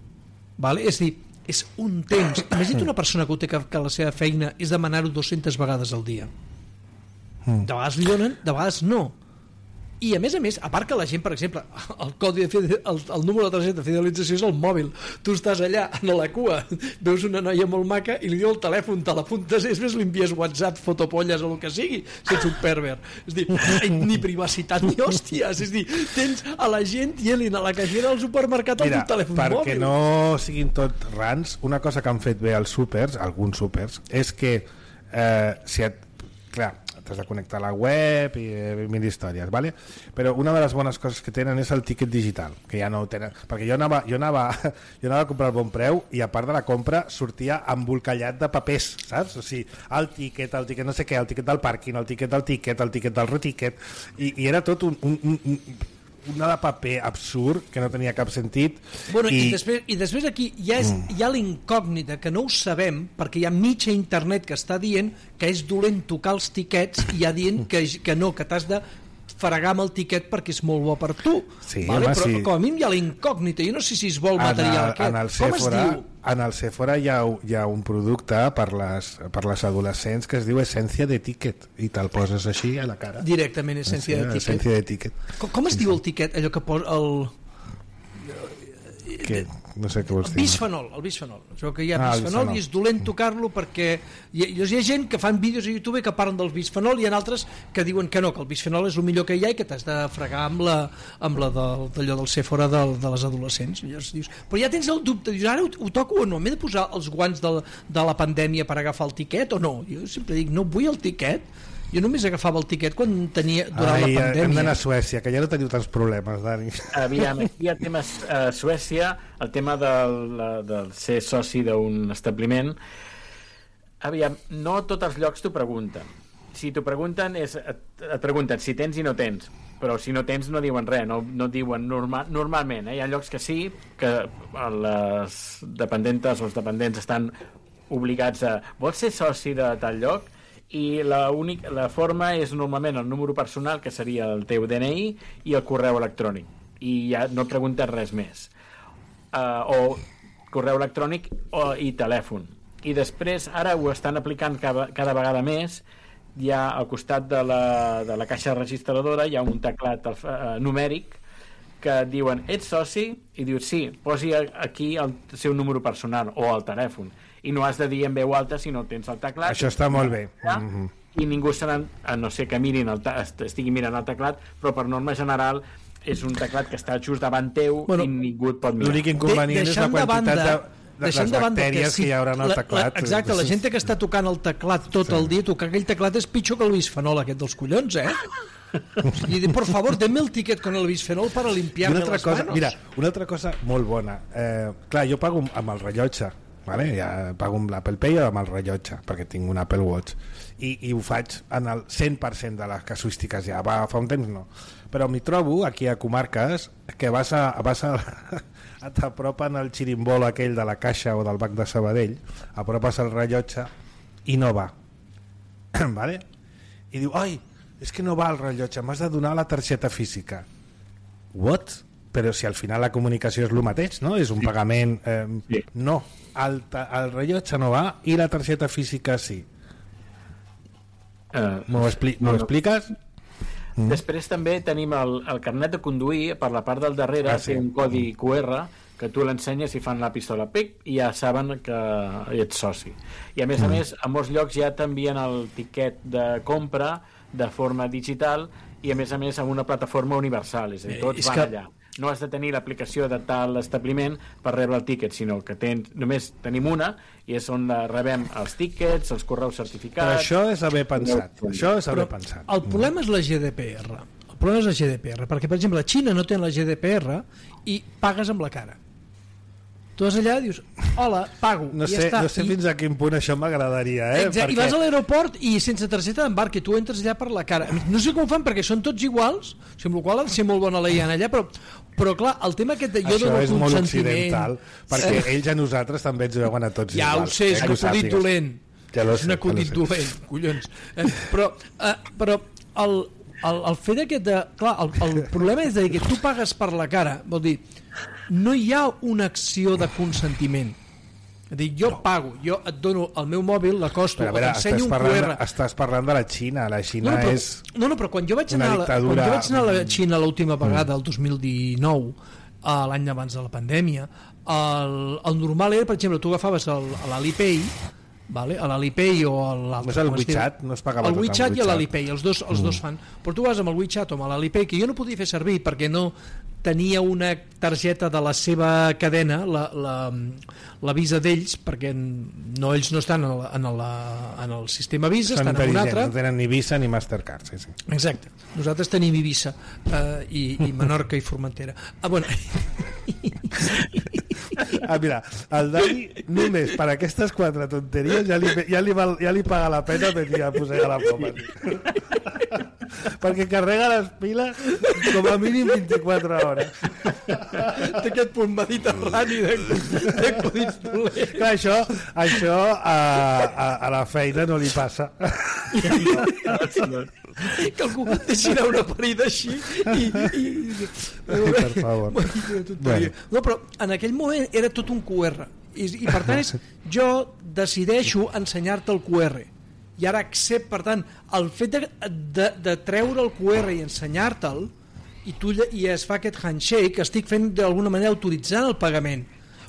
Vale? És a dir, és un temps. Imagina't una persona que ho té que la seva feina és demanar-ho 200 vegades al dia. De vegades li donen, de vegades no. I a més, a part que la gent, per exemple, el número de targeta de fidelització és el mòbil. Tu estàs allà a la cua, veus una noia molt maca i li diu el telèfon, te l'apuntes, és més, li envies WhatsApp, fotopolles o el que sigui, sense un pervert. És dir, ni privacitat ni hòsties. És dir, tens a la gent dient a la caixera del supermercat amb un telèfon mòbil. Perquè no siguin tot rans, una cosa que han fet bé els súpers, alguns súpers, és que si et... Clar, t'has de connectar a la web i mil històries, ¿vale? Però una de les bones coses que tenen és el tiquet digital, que ja no ho tenen, perquè jo anava a comprar el Bon Preu i a part de la compra sortia embolcallat de papers, saps? O sigui, el tiquet no sé què, el tiquet del pàrquing, el tiquet del retiquet, i era tot una de paper absurd que no tenia cap sentit. Bueno, i després aquí hi ha l'incògnita que no ho sabem perquè hi ha mitja internet que està dient que és dolent tocar els tiquets i ja dient que no, que t'has de fregar amb el tiquet perquè és molt bo per tu. Sí, vale? Home, però sí. Com a mínim hi ha la incògnita, jo no sé si es vol material aquest. Com es diu? En el Sephora hi ha un producte per les adolescents que es diu Essència de Ticket i te'l poses així a la cara. Directament, Essència de Ticket. Com es diu el tiquet? Allò que posa Què? No sé què vols dir. El bisfenol. Es veu que hi ha bisfenol i és dolent tocar-lo perquè hi ha gent que fan vídeos a YouTube que parlen del bisfenol i hi ha altres que diuen que no, que el bisfenol és el millor que hi ha i que t'has de fregar amb d'allò del Sephora de les adolescents. I llavors dius, però ja tens el dubte, dius, ara ho toco o no? M'he de posar els guants de la pandèmia per agafar el tiquet o no? Jo sempre dic, no vull el tiquet. Jo només agafava el tiquet quan tenia durant la pandèmia. Hem d'anar a Suècia, que ja no teniu tants problemes, Dani. Aviam, aquí hi ha temes a Suècia, el tema del ser soci d'un establiment. Aviam, no tots els llocs t'ho pregunten. Si t'ho pregunten, et pregunten si tens i no tens, però si no tens no diuen res, no diuen normalment. Hi ha llocs que sí, que les dependentes o els dependents estan obligats a... Vols ser soci de tal lloc? I la forma és normalment el número personal, que seria el teu DNI, i el correu electrònic, i ja no preguntes res més, o correu electrònic i telèfon. I després ara ho estan aplicant cada vegada més. Hi ha al costat de la caixa registradora hi ha un teclat numèric que diuen, ets soci? I dius, sí, posi aquí el seu número personal o el telèfon, i no has de dir en veu alta si no tens el teclat. Això està molt bé. I ningú serà, a no ser que estigui mirant el teclat, però per norma general és un teclat que està just davant teu, i ningú et pot mirar. L'únic inconvenient és deixant de banda bactèries que hi haurà en el teclat. Exacte, la gent que està tocant el teclat tot el dia, tocar aquell teclat és pitjor que el bisfenol aquest dels collons, I por favor, denme el tiquet con el bisfenol para limpiarme les manos. Mira, una altra cosa molt bona. Clar, jo pago amb el rellotge, vale? Ja pago amb l'Apple Pay o amb el rellotge, perquè tinc un Apple Watch. I ho faig en el 100% de les casuístiques ja. Fa un temps no. Però m'hi trobo aquí a comarques que vas a t'apropen el xirimbol aquell de la Caixa o del Banc de Sabadell, apropes el rellotge i no va. Vale? I diu, ai, és que no va el rellotge, m'has de donar la targeta física. What? Però si al final la comunicació és el mateix, no? És un pagament... Sí. No, el rellotge no va i la targeta física sí. M'ho expliques? Després també tenim el carnet de conduir, per la part del darrere té un codi QR que tu l'ensenyes i fan la pistola pic i ja saben que ets soci. I a més, a molts llocs ja t'envien el tiquet de compra de forma digital i a més amb una plataforma universal, és a dir, tots van allà. No has de tenir l'aplicació de tal establiment per rebre el tíquet, sinó que només tenim una i és on rebem els tíquets, els correus certificats... Però això és haver pensat. El problema és la GDPR. El problema és la GDPR, perquè, per exemple, la Xina no té la GDPR i pagues amb la cara. Tu vas allà i dius, hola, pago, no sé, ja està. No sé fins a quin punt això m'agradaria, Exacte, perquè... I vas a l'aeroport i sense targeta d'embarc i tu entres allà per la cara. No sé com ho fan perquè són tots iguals, amb la qual ha de ser molt bona la IA allà, però clar, el tema aquest de jo això dono és consentiment... molt occidental, perquè ells a nosaltres també ens veuen a tots ja iguals. Ja ho sé, és un acudit dolent. És un acudit dolent, collons. Però el fet aquest de... Clar, el problema és que tu pagues per la cara, vol dir, no hi ha una acció de consentiment. És dir, jo pago, jo et dono el meu mòbil, l'acosto, t'ensenyo un QR. Estàs parlant de la Xina, la Xina és... No, però quan jo vaig anar a la Xina l'última vegada, el 2019, l'any abans de la pandèmia, el normal era, per exemple, tu agafaves l'Alipay, vale? A l'Alipay o l'altre. El WeChat no es pagava tot amb WeChat i l'Alipay, els dos fan. Però tu vas amb el WeChat o amb l'Alipay, que jo no podia fer servir perquè no tenia una targeta de la seva cadena, la Visa d'ells, perquè ells no estan en el sistema Visa, estan en un altre. No tenen ni Visa ni Mastercard. Sí. Exacte. Nosaltres tenim Ibiza i Menorca i Formentera. Bueno... mira, el Dani només per aquestes 4 tonteries ja li paga la pena venir a posar a la poma. Perquè carrega les piles com a mínim 24 hores. Té aquest punt mediterrani d'acudits dolents. Clar, això a la feina no li passa. Que algú deixi anar una parida així per favor. No, però en aquell moment era tot un QR i per tant jo decideixo ensenyar-te el QR i ara per tant el fet de treure el QR i ensenyar-te'l i es fa aquest handshake, estic fent d'alguna manera autoritzant el pagament,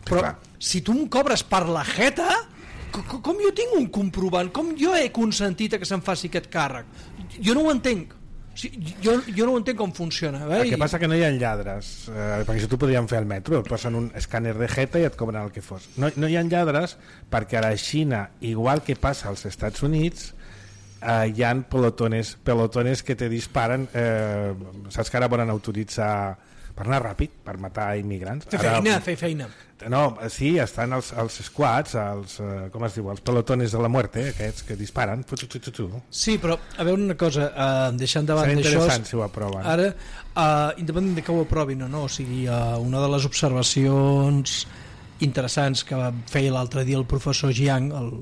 però si tu em cobres per la jeta, com jo tinc un comprovant, com jo he consentit que se'm faci aquest càrrec? Jo no ho entenc. Jo no ho entenc com funciona. El que passa que no hi ha lladres, perquè això t'ho podríem fer al metro, et posen un escàner de jeta i et cobren el que fos. No hi ha lladres perquè a la Xina, igual que passa als Estats Units, hi ha pelotones que te disparen, saps que ara volen autoritzar per anar ràpid, per matar immigrants. Fer feina. No, sí, estan els squads, com es diu, els pelotones de la muerte, aquests que disparen. Sí, però a veure una cosa, deixant davant d'això... Serà interessant si ho aproven. Ara, independent de que ho aprovin o no, o sigui, una de les observacions interessants que feia l'altre dia el professor Jiang, el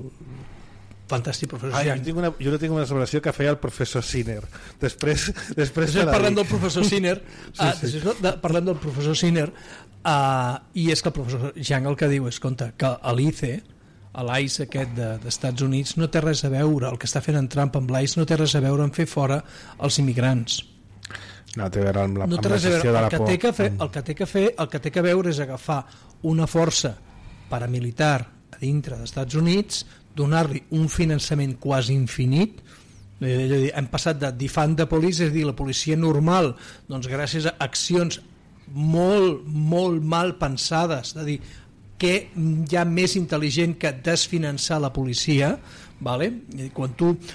fantàstic professor Jiang. Jo no tinc una observació que feia el professor Sinner. Després parlem del professor Sinner, parlem del professor Sinner, i és que el professor Jiang el que diu és que l'ICE, l'ICE aquest d'Estats Units, no té res a veure, el que està fent en Trump amb l'ICE no té res a veure en fer fora els immigrants. No té a veure amb la gestió de la por. El que té que veure és agafar una força paramilitar a dintre dels Estats Units, donar-li un finançament quasi infinit. Hem passat de defund the police, és a dir, la policia normal, doncs gràcies a accions molt mal pensades, de dir, què hi ha més intel·ligent que desfinançar la policia, vale? Quan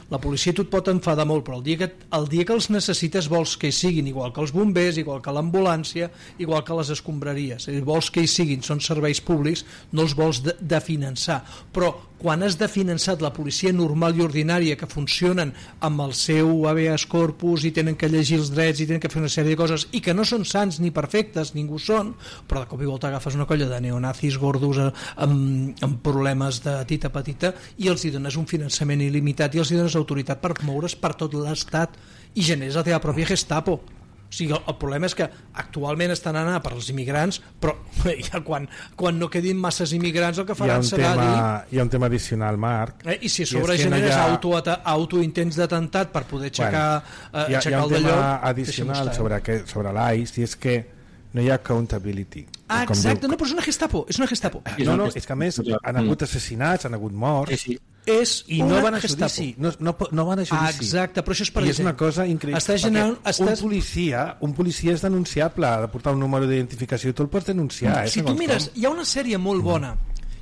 la policia tu et pot enfadar molt, però el dia que els necessites vols que hi siguin, igual que els bombers, igual que l'ambulància, igual que les escombraries, vols que hi siguin, són serveis públics, no els vols de finançar, però quan has de finançar la policia normal i ordinària que funcionen amb el seu habeas corpus i tenen que llegir els drets i tenen que fer una sèrie de coses i que no són sants ni perfectes, ningú són, però de cop i volta agafes una colla de neonazis gordos amb problemes de tita petita i els hi dones un finançament il·limitat i els hi dones autoritat per moure's per tot l'estat i generes la teva pròpia Gestapo. O sigui, el problema és que actualment estan anant per als immigrants, però quan no quedin masses immigrants el que faran serà dir... Hi ha un tema addicional, Marc. I si a sobre generes autointents d'atemptat per poder aixecar el d'allò... Hi ha un tema addicional sobre l'ICE i és que no hi ha accountability. Exacte, no, però és una Gestapo. No, és que a més han hagut assassinats, han hagut morts... I no van a judici, no van a judici. Exacte, però això és per i és una cosa increïble. Un policia és denunciable, ha de portar un número d'identificació i tu el pots denunciar. Si tu mires, hi ha una sèrie molt bona,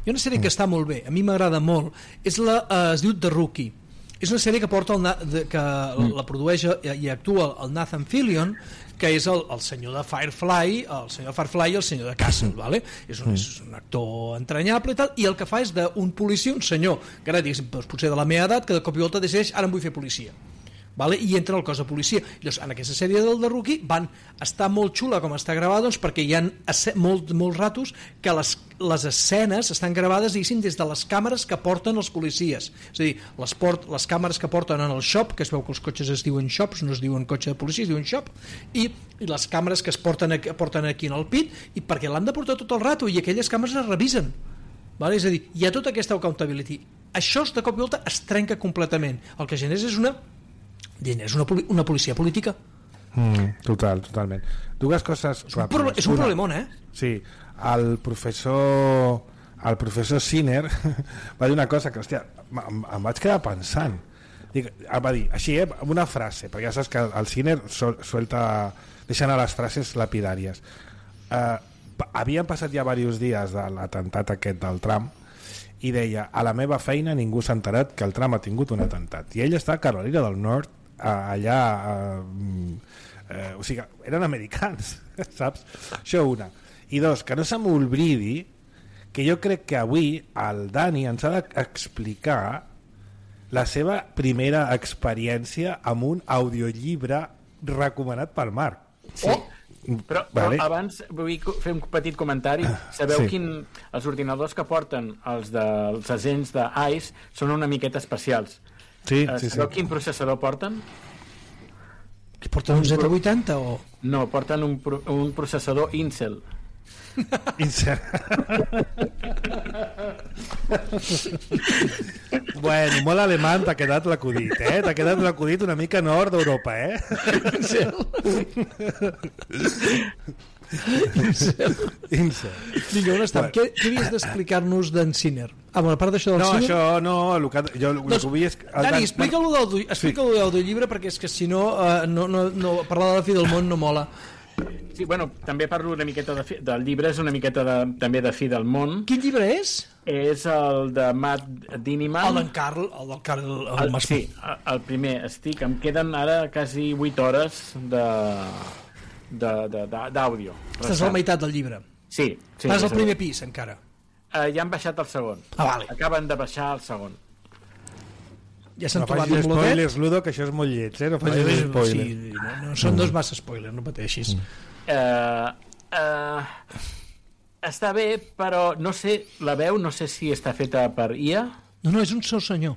hi ha una sèrie que està molt bé, a mi m'agrada molt, es diu The Rookie. És una sèrie que porta que la produeix i actua el Nathan Fillion, que és el senyor de Firefly, el senyor de Firefly i el senyor de Castle, ¿vale? És un actor entranyable i tal, i el que fa és d'un policia, un senyor que ara potser de la meva edat, que de cop i volta decideix, ara em vull fer policia, vale? I entra al cos de policia. Llavors, en aquesta sèrie del The Rookie està molt xula com està gravada, doncs, perquè hi ha molts ratos que les escenes estan gravades, diguéssim, des de les càmeres que porten els policies. És a dir, les càmeres que porten en el shop, que es veu que els cotxes es diuen shops, no es diuen cotxe de policia, es diuen shop, i les càmeres que es porten aquí en el pit, i perquè l'han de portar tot el rato, i aquelles càmeres es revisen. Vale? És a dir, hi ha tota aquesta accountability. Això de cop i volta es trenca completament. El que genera és una policia política. Totalment. Dues coses ràpides. És un problemón, Sí, el professor Sinner va dir una cosa que, hòstia, em vaig quedar pensant. Va dir, així, amb una frase, perquè ja saps que el Sinner deixa anar les frases lapidàries. Havien passat ja diversos dies de l'atemptat aquest del Trump i deia, a la meva feina ningú s'ha enterat que el Trump ha tingut un atemptat. I ell està a Carolina del Nord, allà o sigui, eren americans, saps? Això una. I dos, que no se m'oblidi que jo crec que avui el Dani ens ha d'explicar la seva primera experiència amb un audiollibre recomanat pel Marc. Sí. Però abans vull fer un petit comentari. Sabeu els ordinadors que porten els agents d'ICE són una miqueta especials. Sabeu quin processador porten? Que porten un Z80 o...? No, porten un processador Intel. Bueno, molt alemany t'ha quedat l'acudit, t'ha quedat l'acudit una mica nord d'Europa, Incel. Vinga, on estem? Què havies d'explicar-nos d'en Sinner? A part d'això del Sinner? No, això no, el que vull és... Dani, explica-lo del llibre, perquè és que si no, parlar de la fi del món no mola. Sí, bueno, també parlo una miqueta del llibre, és una miqueta també de fi del món. Quin llibre és? És el de Matt Diniman. El del Carl. Sí, el primer. Em queden ara quasi 8 hores d'àudio. Estàs a la meitat del llibre. Sí. Estàs al primer pis, encara. Ja han baixat el segon. Vale. Acaben de baixar el segon. Ja s'han trobat un spoilers, Ludo, que això és molt lleig, no facis spoilers. Sí, no són dos massa spoilers, no pateixis. Està bé, però no sé, la veu no sé si està feta per IA. No, és un sol senyor.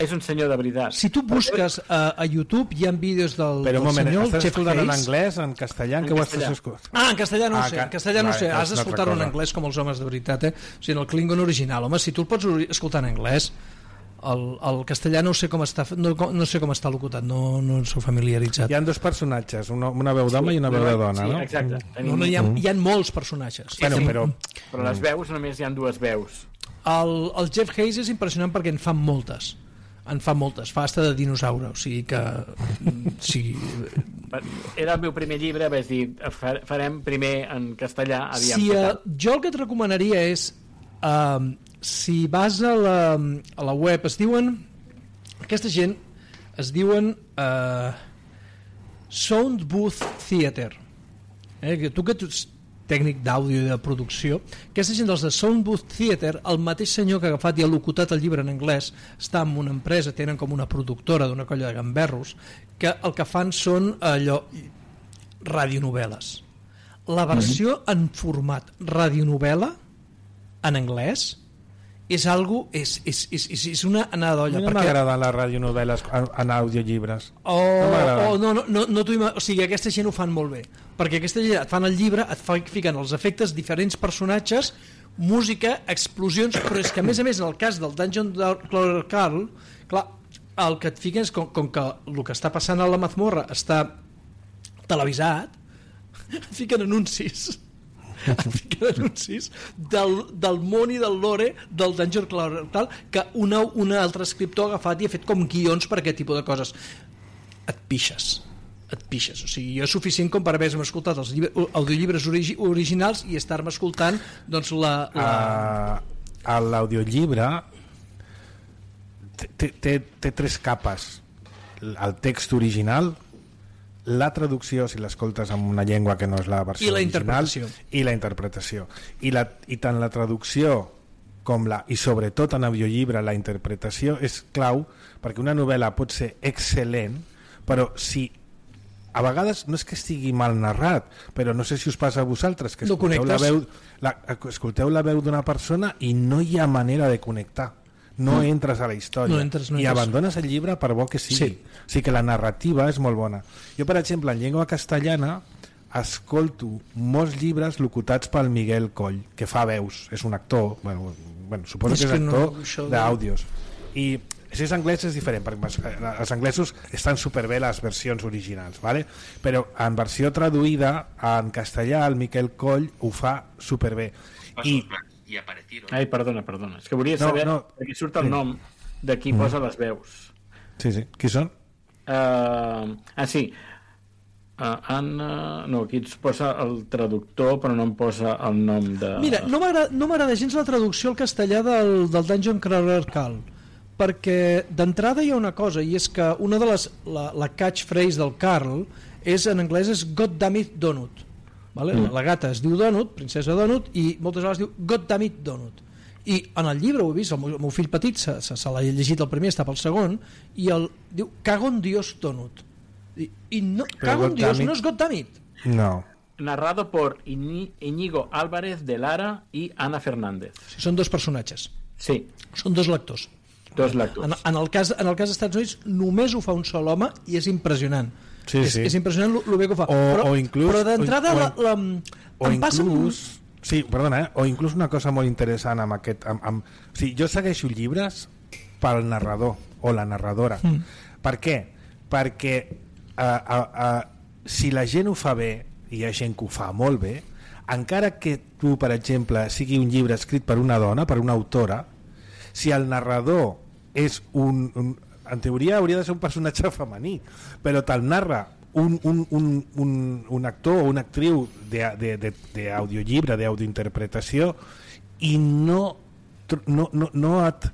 És un senyor de veritat. Si tu busques a YouTube hi ha vídeos del senyor. Però un moment, estàs escoltant en anglès, en castellà, en què ho estàs escoltant? En castellà no ho sé, en castellà no sé, has d'escoltar-ho en anglès com els homes de veritat, O sigui, en el Klingon original, home, si tu el pots escoltar en anglès. El castellà no sé com està locutat, no sóc familiaritzat. Hi ha dos personatges, una veu d'home i una veu de dona, no? Sí, exacte. Hi ha molts personatges. Però les veus només hi ha dues veus. El Jeff Hayes és impressionant perquè en fan moltes. Fa hasta de dinosaure, o sigui que... Era el meu primer llibre, vaig dir, farem primer en castellà, jo el que et recomanaria és Si vas a la web, es diuen, aquesta gent es diuen Sound Booth Theater, tu que ets tècnic d'àudio i de producció, aquesta gent dels de Sound Booth Theater, el mateix senyor que ha agafat i ha locutat el llibre en anglès, està en una empresa, tenen com una productora d'una colla de gamberros, que el que fan són allò, radionovel·les. La versió en format radionovel·la en anglès és algo, és una anada d'olla. A mi no m'agraden les radionovel·les en audiollibres. O sigui, aquesta gent ho fan molt bé, perquè aquesta gent et fan el llibre, et fiquen els efectes, diferents personatges, música, explosions, però és que a més en el cas del Dungeon Crawler, clar, el que et fiquen és com que el que està passant a la mazmorra està televisat, et fiquen anuncis del món i del lore del Dungeon Crawler, que un altre escriptor ha agafat i ha fet com guions per aquest tipus de coses. Et pixes, o sigui, jo és suficient com per haver-me escoltat els audiollibres originals i estar-me escoltant doncs l'audiollibre té tres capes: el text original, la traducció, si l'escoltes en una llengua que no és la versió original, i la interpretació. I tant la traducció i sobretot en audiollibre la interpretació és clau, perquè una novel·la pot ser excel·lent, però si a vegades no és que estigui mal narrat, però no sé si us passa a vosaltres que escolteu la veu d'una persona i no hi ha manera de connectar, no entres a la història, i abandones el llibre per bo que sigui. O sigui que la narrativa és molt bona. Jo, per exemple, en llengua castellana escolto molts llibres locutats pel Miguel Coll, que fa veus, és un actor, suposo que és actor d'àudios, i si és anglès és diferent, perquè els anglesos estan superbé les versions originals, ¿vale? Però en versió traduïda en castellà el Miquel Coll ho fa superbé. I aparecieron. Ai, perdona, és que volia saber perquè surt el nom de qui posa les veus. Sí, qui són? Sí, Anna... No, aquí ens posa el traductor, però no em posa el nom de... Mira, no m'agrada gens la traducció al castellà del Dungeon Crawler Carl, perquè d'entrada hi ha una cosa, i és que una de les... la catchphrase del Carl en anglès és God damn it Donut. Vale? La gata es diu Donut, princesa Donut, i moltes vegades diu God damn it Donut. I en el llibre ho he vist, el meu fill petit se l'ha llegit el primer, està pel segon, i diu cago en Dios Donut. I no, cago en Dios no és God damn it. No. Narrado por Íñigo Álvarez de Lara i Ana Fernández. Són dos personatges. Sí. Són dos lectors. En el cas dels Estats Units només ho fa un sol home i és impressionant. Sí. És impressionant el bé que ho fa. Però d'entrada o inclús una cosa molt interessant amb aquest... jo segueixo llibres pel narrador o la narradora. Per què? Perquè si la gent ho fa bé, i hi ha gent que ho fa molt bé, encara que tu, per exemple, sigui un llibre escrit per una dona, per una autora, si el narrador és en teoria hauria de ser un personatge femení, però te'l narra un actor o una actriu d'audiollibre, d'audiointerpretació, i no et...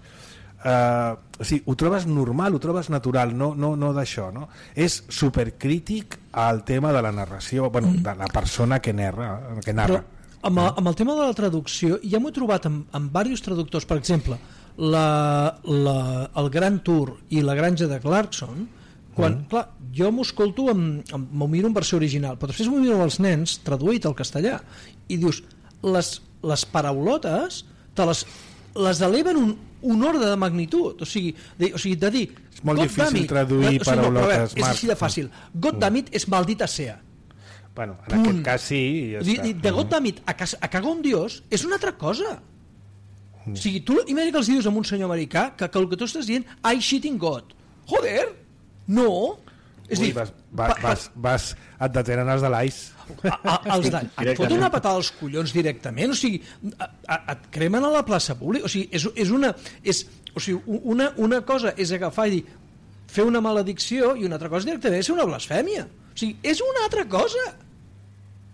o sigui, ho trobes normal, ho trobes natural, no d'això, no? És supercrític al tema de la narració, de la persona que narra. Però amb el tema de la traducció, ja m'ho he trobat amb diversos traductors, per exemple, el Gran Tour i la Granja de Clarkson, quan, clar, jo m'ho escolto m'ho miro en versió original, però després m'ho miro als nens traduït al castellà i dius, les paraulotes te les eleven un ordre de magnitud, o sigui de dir és molt difícil traduir paraulotes, és així de fàcil. God damn it és maldita sea. Bueno, en aquest cas sí, ja està. De God damn it a cagar un dios és una altra cosa. O sigui, tu imagina que els dius a un senyor americà que el que tu estàs dient I shitting God. Joder, no. És dir, et detenen els de l'AIS. Et foten una patada als collons directament, o sigui, et cremen a la plaça pública, o sigui, una cosa és agafar i dir, fer una maledicció, i una altra cosa directament és ser una blasfèmia. O sigui, és una altra cosa.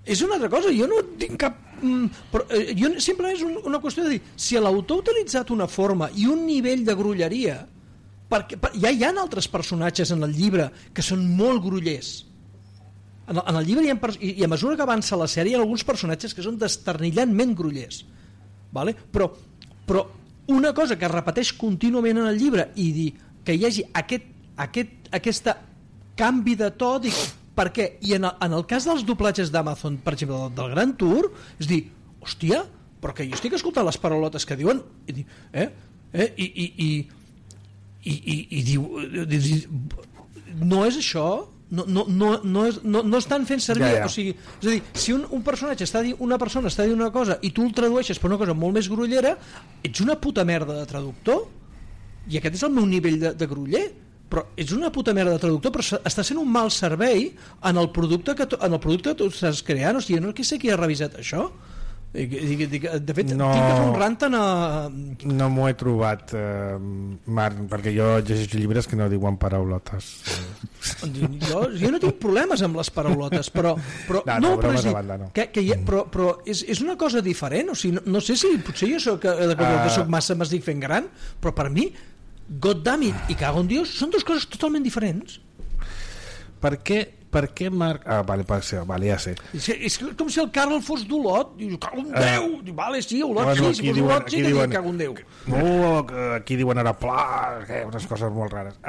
és una altra cosa, jo no tinc cap... Però, jo simplement és una qüestió de dir, si l'autor ha utilitzat una forma i un nivell de grolleria, perquè ja hi ha altres personatges en el llibre que són molt grollers. En el llibre i a mesura que avança la sèrie hi ha alguns personatges que són desternillantment grollers, vale? Però una cosa que es repeteix contínuament en el llibre i dir que hi hagi aquest canvi de to, dic, per què? I en el cas dels doblatges d'Amazon, per exemple, del Gran Tour, és dir, hòstia, però que jo estic escoltant les paraulotes que diuen i diu, no és això, no estan fent servir, o sigui, és a dir, si un personatge una persona està dient una cosa i tu el tradueixes per una cosa molt més grollera, ets una puta merda de traductor, i aquest és el meu nivell de groller, però ets una puta merda de traductor, però està sent un mal servei en el producte que tu estàs creant. O sigui, no sé qui ha revisat això. De fet, tinc que fer un rant no m'ho he trobat, Marc, perquè jo llegeixo llibres que no diuen paraulotes. Jo no tinc problemes amb les paraulotes, però és una cosa diferent. O sigui, no sé si potser jo soc massa m'estic fent gran, però per mi Goddammit i Cago en Dios són dues coses totalment diferents. Per què Marc... vale, ja sé. És com si el Carl fos d'Olot. Diu, cago en Déu! Vale, sí, Olot, sí, si fos Olot sí que diuen cago en Déu. Aquí diuen ara pla, unes coses molt rares.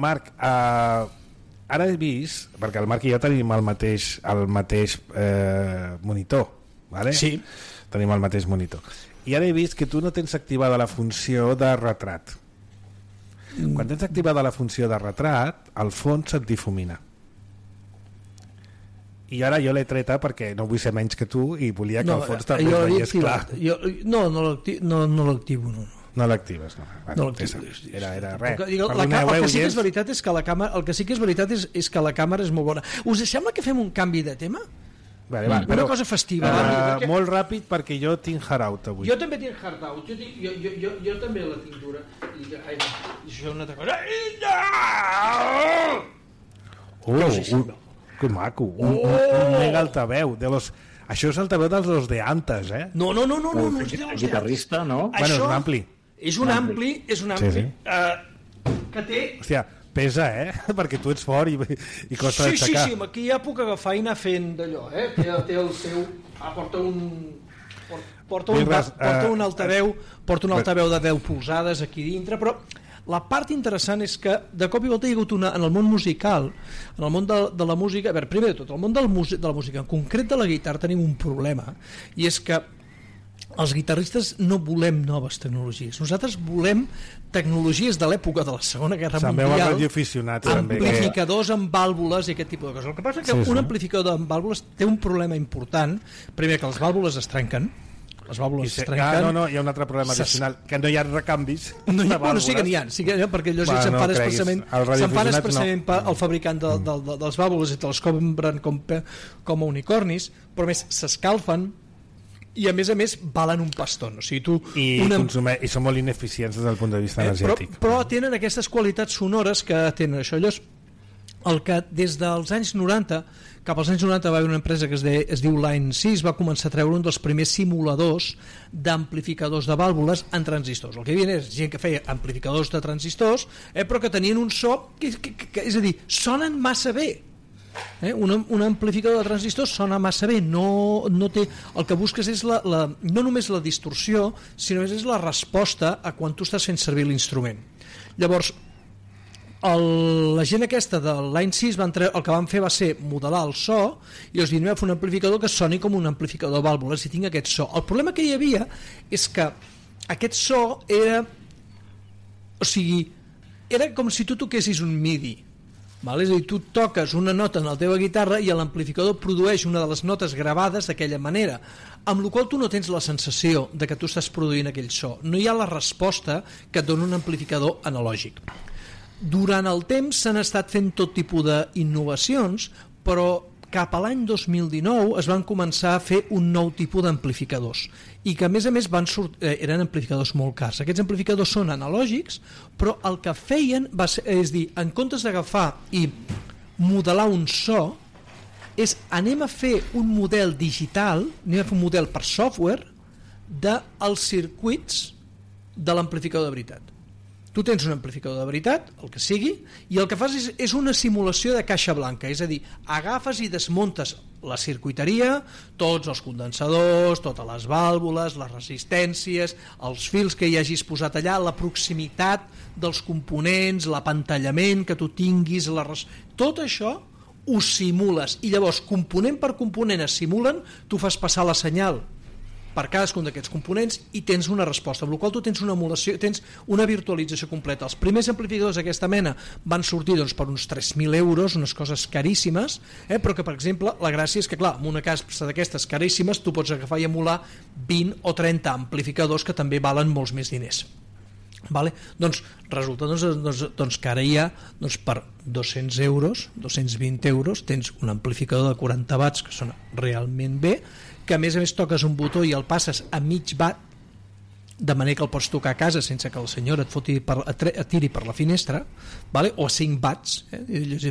Marc, ara he vist, perquè el Marc i jo tenim el mateix monitor, vale? Sí. Tenim el mateix monitor. I ara he vist que tu no tens activada la funció de retrat. Quan tens activada la funció de retrat, el fons se't difumina. I ara jo l'he treta perquè no vull ser menys que tu i volia que el fons també es veiés clar. No l'activo, no. No l'actives, no. No l'actives. Era res. El que sí que és veritat és que la càmera és molt bona. Us sembla que fem un canvi de tema? Vale, una cosa festiva. Molt ràpid, perquè jo tinc Hard Out avui. Jo també tinc Hard Out. Jo també la tinc dura. I això és una altra cosa. Que maco. Un mega altaveu. Això és altaveu dels de antes, eh? No és de los guitarrista, no? Bueno, és un ampli. És un ampli. Que té... Hòstia, pesa, perquè tu ets fort i costa d'aixecar. Sí, aquí ja puc agafar i anar fent d'allò, té el seu... Porta un altaveu de 10 polzades aquí dintre, però la part interessant és que de cop i volta hi ha hagut en el món musical, en el món de la música, a veure, primer de tot, el món de la música, en concret de la guitarra, tenim un problema, i és que els guitarristes no volem noves tecnologies. Nosaltres volem tecnologies de l'època de la Segona Guerra Mundial, amplificadors amb vàlvules i aquest tipus de coses. El que passa és que un amplificador amb vàlvules té un problema important. Primer, que les vàlvules es trenquen. Les vàlvules es trenquen. No, hi ha un altre problema addicional, que no hi ha recanvis. Bueno, sí que n'hi ha, perquè allò se'n fan expressament el fabricant dels vàlvules i te les compren com a unicornis, però més s'escalfen i a més valen un paston, o sigui, i són molt ineficients des del punt de vista energètic, però tenen aquestes qualitats sonores que tenen això. Llavors, el que des dels anys 90 cap als anys 90 va haver una empresa que es diu Line 6, va començar a treure un dels primers simuladors d'amplificadors de vàlvules en transistors. El que hi havia és gent que feia amplificadors de transistors, però que tenien un so que és a dir, sonen massa bé. Un amplificador de transistors sona massa bé, no té, el que busques és no només la distorsió, sinó és la resposta a quan tu estàs fent servir l'instrument. Llavors, la gent aquesta de Line 6 el que van fer va ser modelar el so i els anem a fer un amplificador que soni com un amplificador de vàlvules i tingui aquest so. El problema que hi havia és que aquest so era, o sigui, era com si tu toquessis un MIDI. És a dir, tu toques una nota en la teva guitarra i l'amplificador produeix una de les notes gravades d'aquella manera, amb la qual tu no tens la sensació de que tu estàs produint aquell so. No hi ha la resposta que et dona un amplificador analògic. Durant el temps s'han estat fent tot tipus d'innovacions, però cap a l'any 2019 es van començar a fer un nou tipus d'amplificadors i que a més eren amplificadors molt cars. Aquests amplificadors són analògics, però el que feien va ser, és dir, en comptes d'agafar i modelar un so, és anem a fer un model digital, anem a fer un model per software dels circuits de l'amplificador de veritat. Tu tens un amplificador de veritat, el que sigui, i el que fas és una simulació de caixa blanca, és a dir, agafes i desmuntes la circuiteria, tots els condensadors, totes les vàlvules, les resistències, els fils que hi hagis posat allà, la proximitat dels components, l'apantallament que tu tinguis, tot això ho simules, i llavors component per component es simulen, tu fas passar la senyal per cadascun d'aquests components i tens una resposta, amb la qual tu tens una emulació, tens una virtualització completa. Els primers amplificadors d'aquesta mena van sortir doncs, per uns 3.000 euros, unes coses caríssimes, però que, per exemple, la gràcia és que, clar, amb una casa d'aquestes caríssimes tu pots agafar i emular 20 o 30 amplificadors que també valen molts més diners. Vale? Doncs resulta que ara hi ha per 200 euros, 220 euros, tens un amplificador de 40 watts que sona realment bé, que a més toques un botó i el passes a mig watt, de manera que el pots tocar a casa sense que el senyor et tiri per la finestra, vale? O a 5 watts,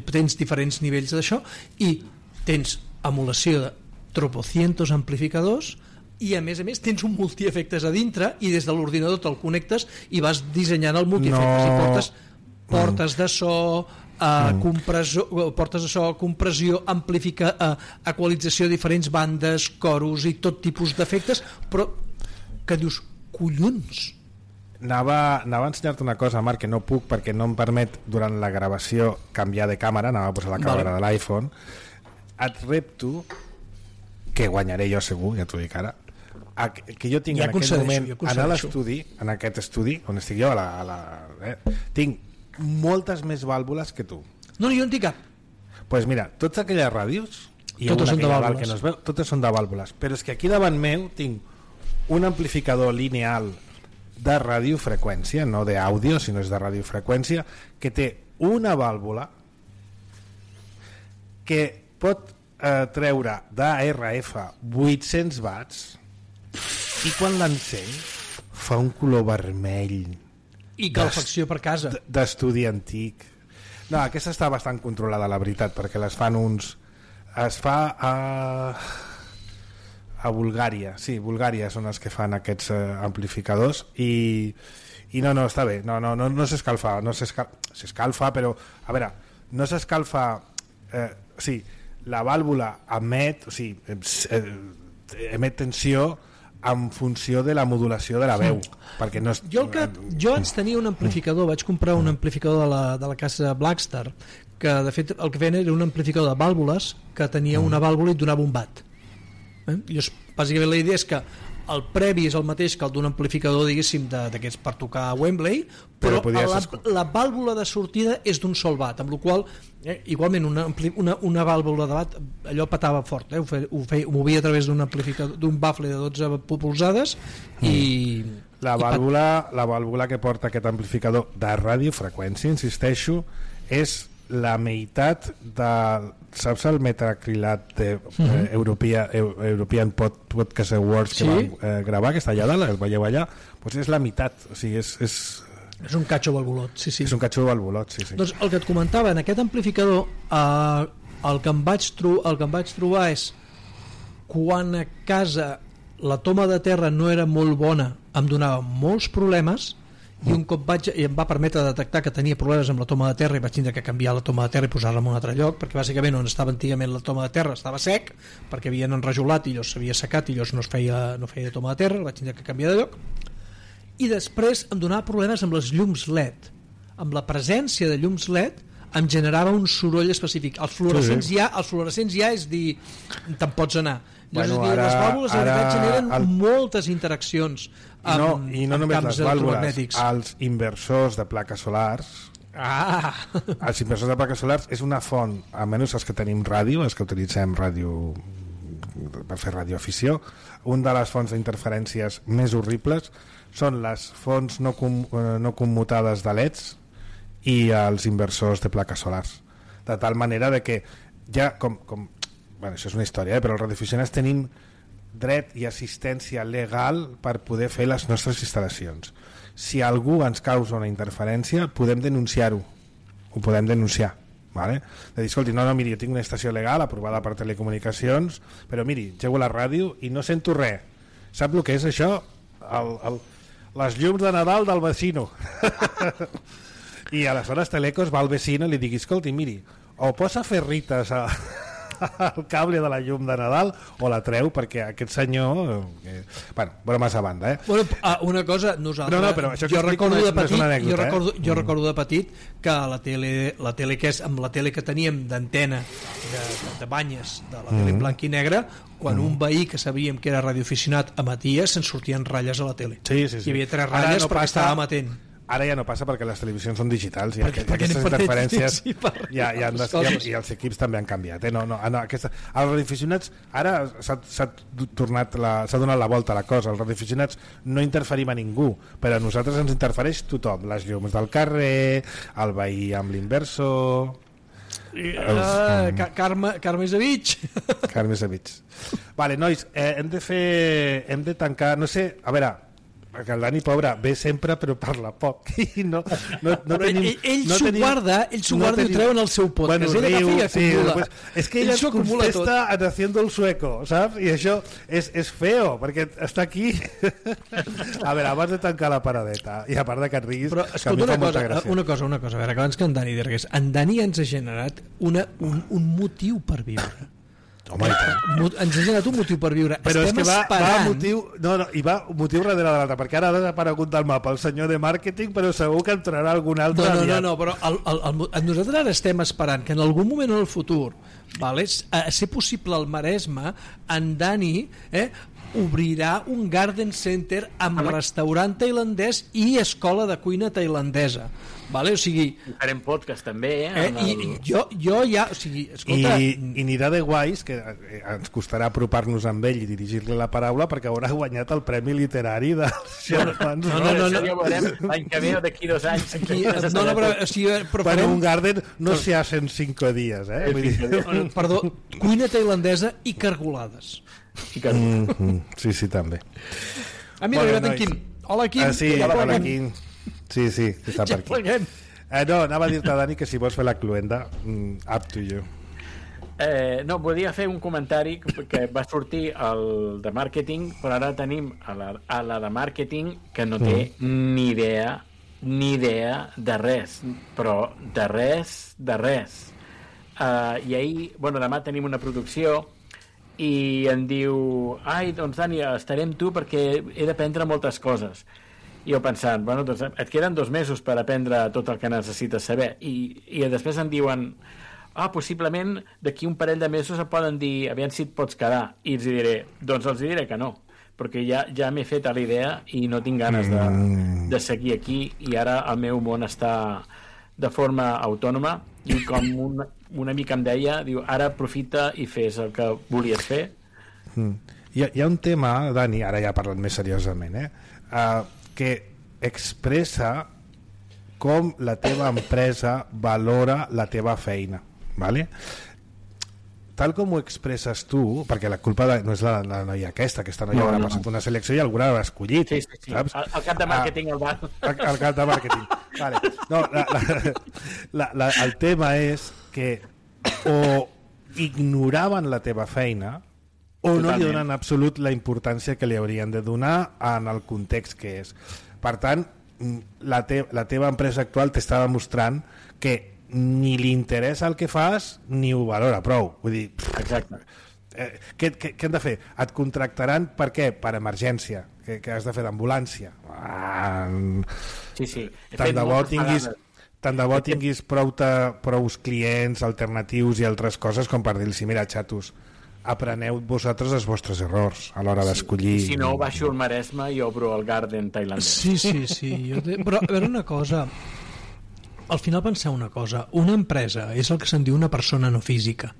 tens diferents nivells d'això, i tens emulació de tropocientos amplificadors, i a més tens un multiefectes a dintre, i des de l'ordinador te'l connectes i vas dissenyant el multiefectes, i portes portes de so, portes de so, compressió, equalització de diferents bandes, coros i tot tipus d'efectes, però que dius, collons. Anava a ensenyar-te una cosa, Marc, que no puc perquè no em permet durant la gravació canviar de càmera, anava a posar la càmera de l'iPhone. Et repto, que guanyaré jo segur, ja t'ho dic ara, que jo tinc en aquest moment anar a l'estudi, en aquest estudi on estic jo, tinc moltes més vàlvules que tu. No, jo en tinc cap. Doncs mira, totes aquelles ràdios, totes són de vàlvules, que no es veu, totes són de vàlvules, però és que aquí davant meu tinc un amplificador lineal de radiofreqüència, no d'àudio, sinó és de radiofreqüència, que té una vàlvula que pot treure d'ARF 800 watts, i quan l'encén fa un color vermell i calefacció per casa d'estudi antic. No, aquesta està bastant controlada, la veritat, perquè les fan es fa a Bulgària, sí, Bulgària són els que fan aquests amplificadors, i no, està bé, no s'escalfa, s'escalfa, però a veure, no s'escalfa, sí, la vàlvula emet, o sigui, emet tensió en funció de la modulació de la veu, perquè no és... Jo abans tenia un amplificador, vaig comprar un amplificador de la casa Blackstar, que de fet el que feien era un amplificador de vàlvules que tenia una vàlvula i donava un watt. Bàsicament la idea és que el previ és el mateix que el d'un amplificador, diguéssim, d'aquests per tocar a Wembley, però la vàlvula de sortida és d'un sol watt, amb la qual igualment una vàlvula de watt allò petava fort, ho movia a través d'un bafle de 12 polzades, i la vàlvula que porta aquest amplificador de radiofreqüència, insisteixo, és la meitat de, saps el metacrilat de European Podcast Awards que vam gravar, que està allà dalt, el veieu allà, doncs és la meitat, o sigui, és un catxo valvulot, sí. És un catxo valvulot, sí. Doncs el que et comentava, en aquest amplificador el que em vaig trobar és quan a casa la toma de terra no era molt bona, em donava molts problemes, i un cop em va permetre detectar que tenia problemes amb la toma de terra i vaig tindre que canviar la toma de terra i posar-la en un altre lloc, perquè bàsicament on estava antigament la toma de terra estava sec, perquè havien enrajolat i llavors s'havia secat i llavors no feia toma de terra, vaig tindre que canviar de lloc. I després em donava problemes amb les llums LED, amb la presència de llums LED em generava un soroll específic. Els fluorescents ja és dir, te'n pots anar. Llavors, les vàlvules de veritat generen moltes interaccions amb camps electromagnètics. Els inversors de plaques solars, els inversors de plaques solars és una font, almenys els que tenim ràdio, els que utilitzem ràdio per fer radioafició, una de les fonts d'interferències més horribles són les fonts no commutades de LEDs i els inversors de plaques solars, de tal manera de que ja bueno, això és una història, però els radioaficionats tenim dret i assistència legal per poder fer les nostres instal·lacions. Si algú ens causa una interferència, podem denunciar-ho, ho podem denunciar, vale? De dir, escolti, no, miri, jo tinc una estació legal aprovada per Telecomunicacions, però miri, llego la ràdio i no sento res. Sap el que és això? Les llums de Nadal del vecino. I aleshores Telecos va al vecino i li digui, escolti, miri, o posa ferrites al cable de la llum de Nadal o la treu, perquè aquest senyor bueno, bromes a banda, Bueno, una cosa, nosaltres però això jo recordo de no és petit, una anècdota, jo recordo de petit que la tele que és, amb la tele que teníem d'antena de banyes de la tele blanc i negre, quan un veí que sabíem que era radioaficionat emetia, se'n sortien ratlles a la tele. Sí. Hi havia 3 ratlles perquè estava ematent. Ara ja no passa perquè les televisions són digitals i perquè aquestes interferències i els equips també han canviat. Els radioaficionats ara s'ha donat la volta a la cosa. Els radioaficionats no interferim a ningú, però a nosaltres ens interfereix tothom, les llums del carrer, el veí amb l'inversor, Carme Zavich. Vale, nois, hem de tancar, no sé, a veure, perquè el Dani, pobre, ve sempre però parla poc i no tenim... Ell s'ho guarda i ho treu en el seu podcast. Bueno, ell agafa i acumula. És que ell es contesta haciendo el sueco, saps? I això és feo, perquè està aquí. A veure, abans de tancar la paradeta, i a part de que et riguis, però, escolta, una cosa, a veure, que abans que en Dani digués, en Dani ens ha generat un motiu per viure. Home, ens ha generat un motiu per viure. Però estem és que esperant... va motiu darrere de l'altre, perquè ara ha desaparegut del mapa el senyor de màrqueting, però segur que entrarà algun altre aviat. No, però nosaltres ara estem esperant que en algun moment en el futur, vale, a ser possible al Maresme, en Dani obrirà un garden center amb restaurant tailandès i escola de cuina tailandesa. Vale? O sigui, farem podcast també, i jo ja, o sigui, escolta, i anirà de guais, que ens costarà apropar-nos amb ell i dirigir-li la paraula, perquè haurà guanyat el Premi Literari dels germans. No, ja ho veurem l'any que ve o d'aquí 2 anys. però un garden no se hace en 5 dies, perdó, cuina tailandesa i cargolades. Sí, també. Mira, arribat en Quim. Hola, Quim. Hola, Quim. Sí, està per aquí. No, anava a dir-te, Dani, que si vols fer la cluenda, up to you. No, volia fer un comentari que va sortir el de màrqueting, però ara tenim a la de màrqueting que no té ni idea de res, però de res. I ahir, demà tenim una producció i em diu, doncs Dani, estaré amb tu perquè he d'aprendre moltes coses. I jo pensant, doncs et queden 2 mesos per aprendre tot el que necessites saber. I després em diuen, possiblement d'aquí un parell de mesos et poden dir, aviam si et pots quedar. I els diré que no, perquè ja m'he fet a la idea i no tinc ganes de seguir aquí, i ara el meu món està de forma autònoma, i com una mica em deia, diu, ara aprofita i fes el que volies fer. Hi ha un tema, Dani, ara ja parlant més seriosament, que expressa com la teva empresa valora la teva feina, vale? Tal com ho expresses tu, perquè la culpa no és la noia aquesta noia haurà passat una selecció i alguna l'ha escollit, saps? El cap de màrqueting el cap de màrqueting, vale. No, el tema és que o ignoraven la teva feina o no li donen absolut la importància que li haurien de donar en el context que és. Per tant, la teva empresa actual t'està demostrant que ni li interessa el que fas ni ho valora prou. Vull dir, exacte. Què han de fer? Et contractaran per què? Per emergència, que has de fer d'ambulància. Sí. Tant de bo tinguis prous clients alternatius i altres coses com per dir-los, mira, xatos, apreneu vosaltres els vostres errors a l'hora d'escollir. Si no, baixo el Maresme i obro el garden tailandès. Sí. Però a veure una cosa, al final penseu una cosa, una empresa és el que se'n diu una persona no física.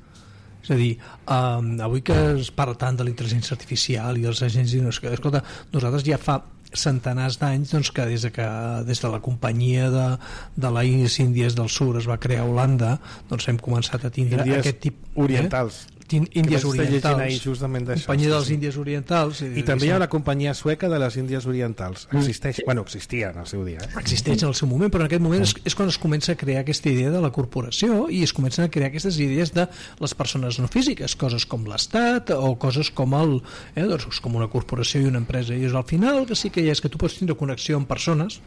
És a dir, avui que es parla tant de la intel·ligència artificial i dels agents, escolta, nosaltres ja fa centenars d'anys que des de la companyia de les Índies del Sud es va crear a Holanda, hem començat a tindre Índies aquest tipus orientals. Índies Orientals, ahí justament d'això, companyia dels Índies Orientals, i també hi ha la companyia sueca de les Índies Orientals. Existeix, existia en el seu dia. Existeix en el seu moment, però en aquest moment és quan es comença a crear aquesta idea de la corporació i es comencen a crear aquestes idees de les persones no físiques, coses com l'Estat o coses com com una corporació i una empresa. I al final el que sí que hi ha és que tu pots tindre connexió amb persones,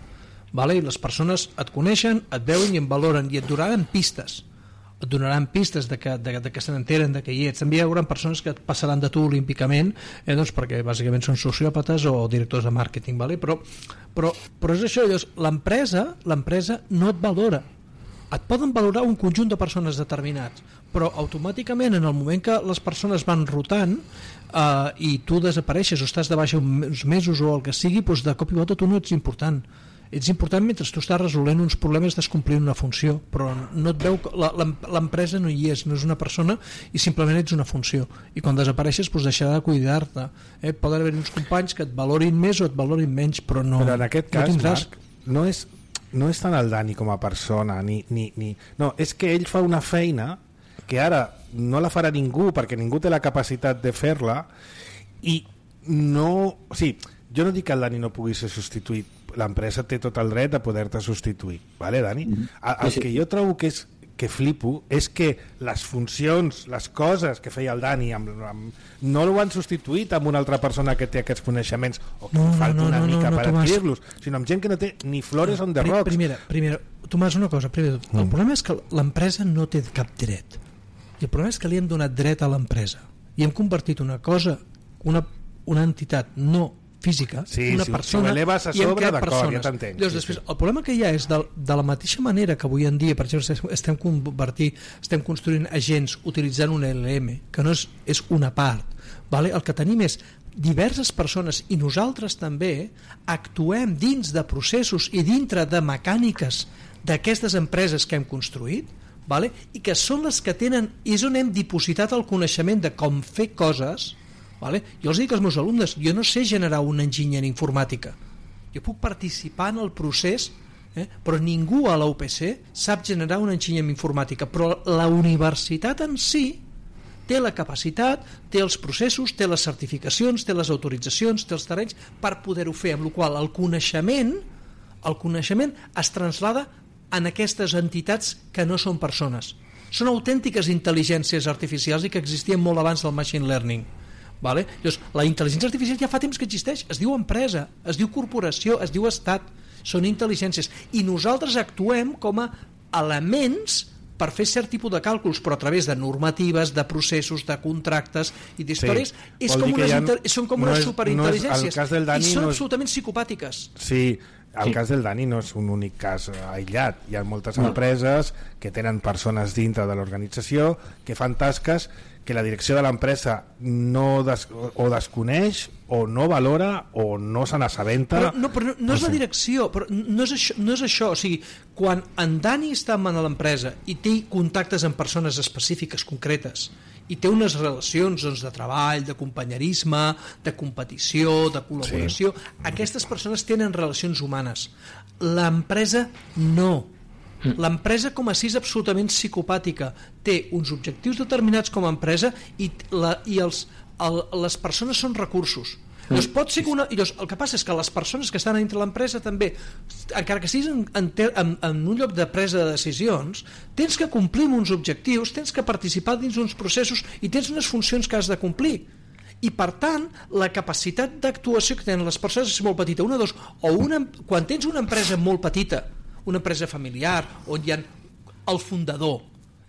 vale? I les persones et coneixen, et veuen i et valoren i et donaran pistes de que se n'enteren de que hi ets. També hi haurà persones que et passaran de tu olímpicament, perquè bàsicament són sociòpates o directors de màrqueting, vale? però és això, l'empresa no et valora. Et poden valorar un conjunt de persones determinats, però automàticament en el moment que les persones van rotant i tu desapareixes o estàs de baixa uns mesos o el que sigui, doncs de cop i volta tu no ets important. Ets important mentre tu estàs resolent uns problemes, estàs complint una funció, però no et veu, l'empresa no hi és, no és una persona i simplement ets una funció, i quan desapareixes doncs deixarà de cuidar-te. Poden haver uns companys que et valorin més o et valorin menys, però no. Però en aquest cas, Marc, no és tant el Dani com a persona no, és que ell fa una feina que ara no la farà ningú perquè ningú té la capacitat de fer-la i no... O sigui, jo no dic que el Dani no pugui ser substituït, l'empresa té tot el dret a poder-te substituir, vale, Dani? El que jo trobo que flipo és que les funcions, les coses que feia el Dani no ho han substituït amb una altra persona que té aquests coneixements o que falta una mica per adquirir-los, sinó amb gent que no té ni flores on the rocks. Primera, Tomàs, una cosa, el problema és que l'empresa no té cap dret, i el problema és que li hem donat dret a l'empresa i hem convertit una cosa, una entitat no física, una persona, i hem creat persones. Ja t'entenc. Llavors, després, el problema que hi ha és de la mateixa manera que avui en dia, per exemple, estem construint agents utilitzant un LLM, que no és una part, vale? El que tenim és diverses persones i nosaltres també actuem dins de processos i dintre de mecàniques d'aquestes empreses que hem construït, vale? I que són les que tenen, és on hem dipositat el coneixement de com fer coses. Vale? Jo els dic als meus alumnes, jo no sé generar una enginyeria informàtica, jo puc participar en el procés, però ningú a la UPC sap generar una enginyeria informàtica, però la universitat en si té la capacitat, té els processos, té les certificacions, té les autoritzacions, té els terrenys per poder-ho fer, amb la qual cosa el coneixement es traslada en aquestes entitats que no són persones, són autèntiques intel·ligències artificials i que existien molt abans del machine learning. Vale? Llavors, la intel·ligència artificial ja fa temps que existeix, es diu empresa, es diu corporació, es diu estat, són intel·ligències i nosaltres actuem com a elements per fer cert tipus de càlculs, però a través de normatives, de processos, de contractes i d'històries, són com unes superintel·ligències i són absolutament psicopàtiques. Sí, el cas del Dani no és un únic cas aïllat, hi ha moltes empreses que tenen persones dintre de l'organització que fan tasques que la direcció de l'empresa o desconeix o no valora o no se n'assabenta. Però no és la direcció, però no és això. O sigui, quan en Dani està en l'empresa i té contactes amb persones específiques, concretes, i té unes relacions de treball, de companyerisme, de competició, de col·laboració, aquestes persones tenen relacions humanes. L'empresa no. L'empresa com a si és absolutament psicopàtica, té uns objectius determinats com a empresa i les persones són recursos. Llavors, pot ser que el que passa és que les persones que estan dintre l'empresa també, encara que siguis en un lloc de presa de decisions, tens que complir uns objectius, tens que participar dins uns processos i tens unes funcions que has de complir. I per tant, la capacitat d'actuació que tenen les persones és molt petita. Quan tens una empresa molt petita, una empresa familiar on hi ha el fundador,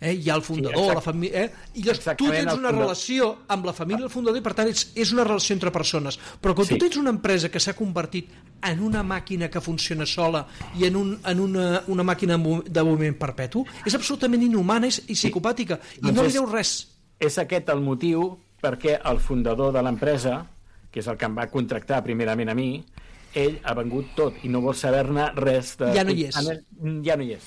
hi ha el fundador, la família, i llavors tu tens una relació amb la família del fundador i per tant és una relació entre persones, però quan tu tens una empresa que s'ha convertit en una màquina que funciona sola i en una màquina de moviment perpetu, és absolutament inhumana i psicopàtica i no li deu res. És aquest el motiu perquè el fundador de l'empresa, que és el que em va contractar primerament a mi, ell ha vengut tot i no vol saber-ne res de... Ja no hi és. Ja no hi és.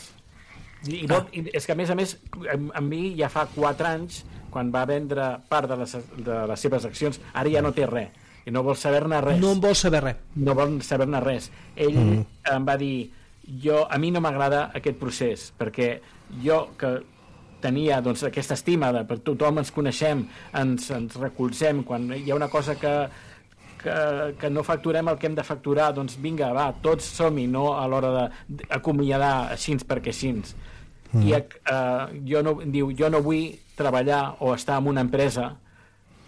I és que a més amb mi ja fa 4 anys quan va vendre part de les seves accions, ara ja no té res i no vol saber-ne res. No en vol saber res. No vol saber-ne res. Ell em va dir, a mi no m'agrada aquest procés perquè jo que tenia doncs, aquesta estima de per tothom ens coneixem, ens recolzem, quan hi ha una cosa que no facturem el que hem de facturar, doncs vinga, va, tots som-hi, no a l'hora d'acomiadar així perquè així. I jo no vull treballar o estar en una empresa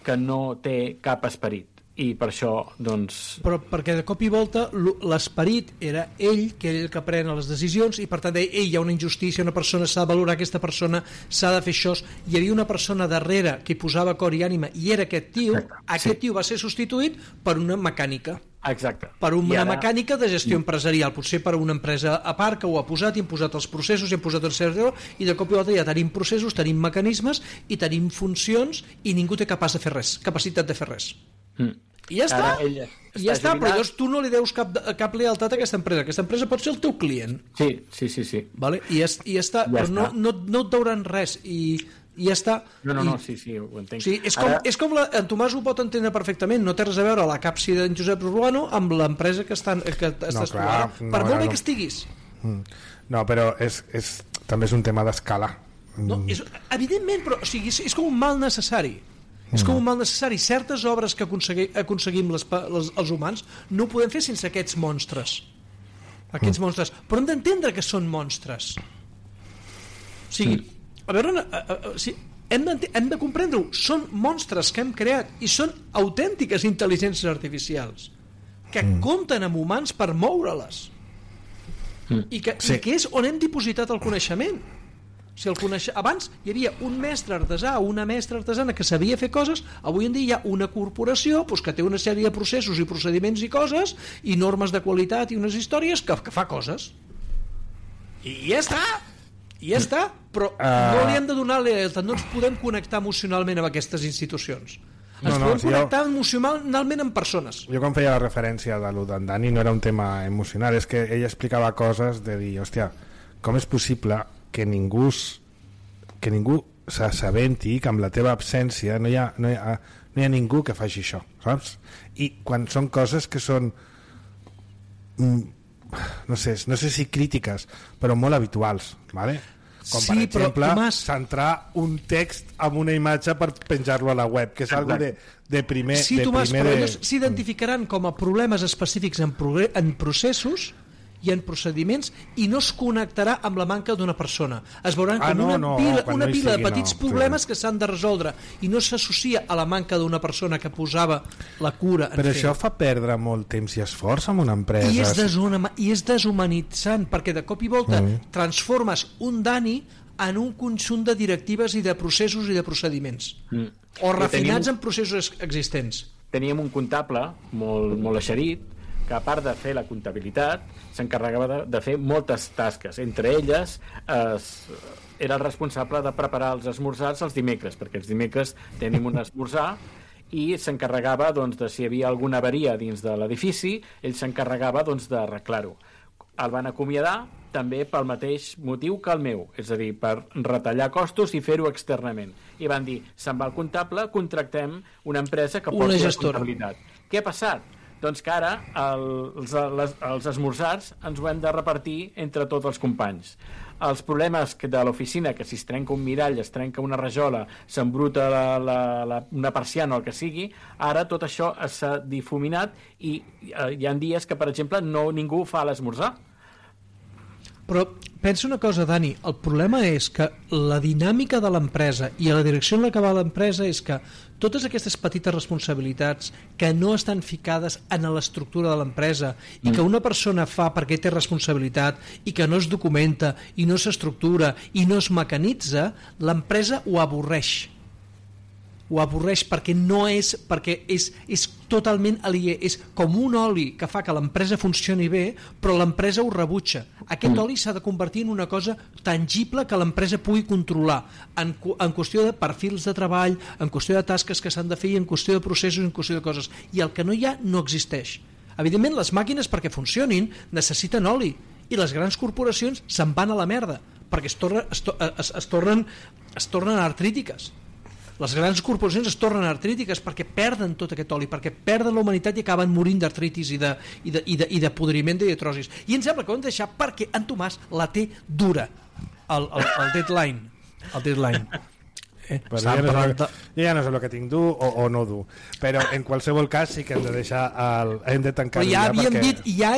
que no té cap esperit. I per això, doncs... Però perquè de cop i volta l'esperit era ell, que era el que pren les decisions, i per tant deia, hi ha una injustícia, una persona s'ha de valorar, aquesta persona s'ha de fer això. Hi havia una persona darrere que hi posava cor i ànima, i era aquest tio. Aquest tio va ser substituït per una mecànica. Exacte. Per una mecànica de gestió empresarial, potser per una empresa a part que ho ha posat, i hem posat els processos, i hem posat el servidor, i de cop i volta ja tenim processos, tenim mecanismes, i tenim funcions, i ningú té capacitat de fer res. I ja està, però llavors tu no li deus cap lealtat a aquesta empresa pot ser el teu client. Sí. Vale? I ja està, però no et deuran res, i ja està. No, sí, ho entenc. Sí, és com en Tomàs ho pot entendre perfectament, no té res a veure la capsi d'en Josep Urbano amb l'empresa que estàs tu ara, per molt bé que estiguis. No, però també és un tema d'escala. Evidentment, però és com un mal necessari. És com un mal necessari. Certes obres que aconseguim els humans no ho podem fer sense aquests monstres. Però hem d'entendre que són monstres. O sigui, a veure, hem de comprendre-ho. Són monstres que hem creat i són autèntiques intel·ligències artificials que compten amb humans per moure-les i que és on hem dipositat el coneixement. Abans hi havia un mestre artesà o una mestra artesana que sabia fer coses, avui en dia hi ha una corporació que té una sèrie de processos i procediments i coses i normes de qualitat i unes històries que fa coses i ja està, però no li hem de donar lealtat, no ens podem connectar emocionalment amb aquestes institucions. Ens podem connectar emocionalment amb persones. Jo quan feia la referència de lo d'en Dani no era un tema emocional, és que ell explicava coses de dir, hòstia, com és possible que ningú s'assabenti que amb la teva absència no hi ha ningú que faci això, saps? I quan són coses que són no sé si crítiques, però molt habituals, ¿vale? Com per exemple centrar un text amb una imatge per penjar-lo a la web, que és algo de primer... Sí, Tomàs, però ells s'identificaran com a problemes específics en processos i en procediments i no es connectarà amb la manca d'una persona. Es veuran com una pila de petits problemes que s'han de resoldre i no s'associa a la manca d'una persona que posava la cura en fer. Però això fa perdre molt temps i esforç en una empresa. I és deshumanitzant, perquè de cop i volta transformes un Dani en un conjunt de directives i de processos i de procediments. O refinats en processos existents. Teníem un comptable molt eixerit que a part de fer la comptabilitat s'encarregava de fer moltes tasques, entre elles era el responsable de preparar els esmorzars els dimecres, perquè els dimecres tenim un esmorzar, i s'encarregava de si hi havia alguna avaria dins de l'edifici, ell s'encarregava d'arreglar-ho. El van acomiadar també pel mateix motiu que el meu, és a dir, per retallar costos i fer-ho externament. I van dir, se'n va el comptable, contractem una empresa que porti la comptabilitat. Què ha passat? Doncs que ara els esmorzars ens ho hem de repartir entre tots els companys. Els problemes de l'oficina, que si es trenca un mirall, es trenca una rajola, s'embruta una persiana o el que sigui, ara tot això s'ha difuminat i hi ha dies que, per exemple, ningú fa l'esmorzar. Però pensa una cosa, Dani, el problema és que la dinàmica de l'empresa i la direcció en la que va l'empresa és que totes aquestes petites responsabilitats que no estan ficades en l'estructura de l'empresa i que una persona fa perquè té responsabilitat i que no es documenta i no s'estructura i no es mecanitza, l'empresa ho avorreix perquè és totalment aliè, és com un oli que fa que l'empresa funcioni bé, però l'empresa ho rebutja. Aquest oli s'ha de convertir en una cosa tangible que l'empresa pugui controlar en qüestió de perfils de treball, en qüestió de tasques que s'han de fer, en qüestió de processos, en qüestió de coses, i el que no hi ha no existeix. Evidentment, les màquines perquè funcionin necessiten oli, i les grans corporacions se'n van a la merda perquè es tornen artrítiques. Les grans corporacions es tornen artrítiques perquè perden tot aquest oli, perquè perden la humanitat i acaben morint d'artritis i de podriment i de trosis. I em sembla que ho hem de deixar perquè en Tomàs la té dura, el deadline. el Disline. Però ja no sé el que tinc dur o no dur, però en qualsevol cas sí que hem de deixar hem de tancar ja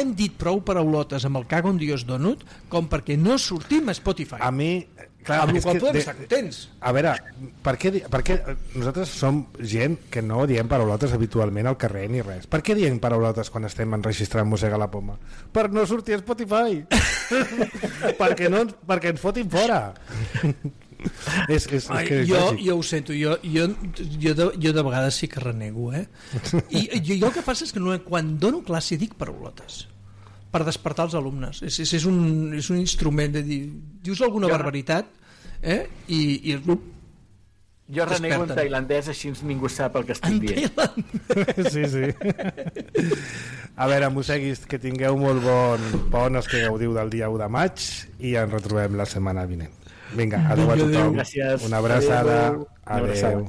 hem dit prou paraulotes amb el cago en Dios Donut com perquè no sortim a Spotify. A mi, clar, amb el qual podem estar contents. A veure, per què nosaltres som gent que no diem paraulotes habitualment al carrer ni res? Per què diem paraulotes quan estem enregistrant Mossega la Poma? Per no sortir a Spotify. perquè ens fotin fora. Jo ho sento, jo de vegades sí que renego, i jo el que passa és que quan dono classe dic paraulotes per despertar els alumnes, és un instrument de dir, dius alguna barbaritat i el grup jo renego en tailandès, així ningú sap el que estic dient. Sí. A veure, mosseguis, que tingueu molt bon els que gaudiu del dia 1 de maig i ens retrobem la setmana vinent. Vinga, adéu a tothom. Gràcies. Una abraçada. Adéu.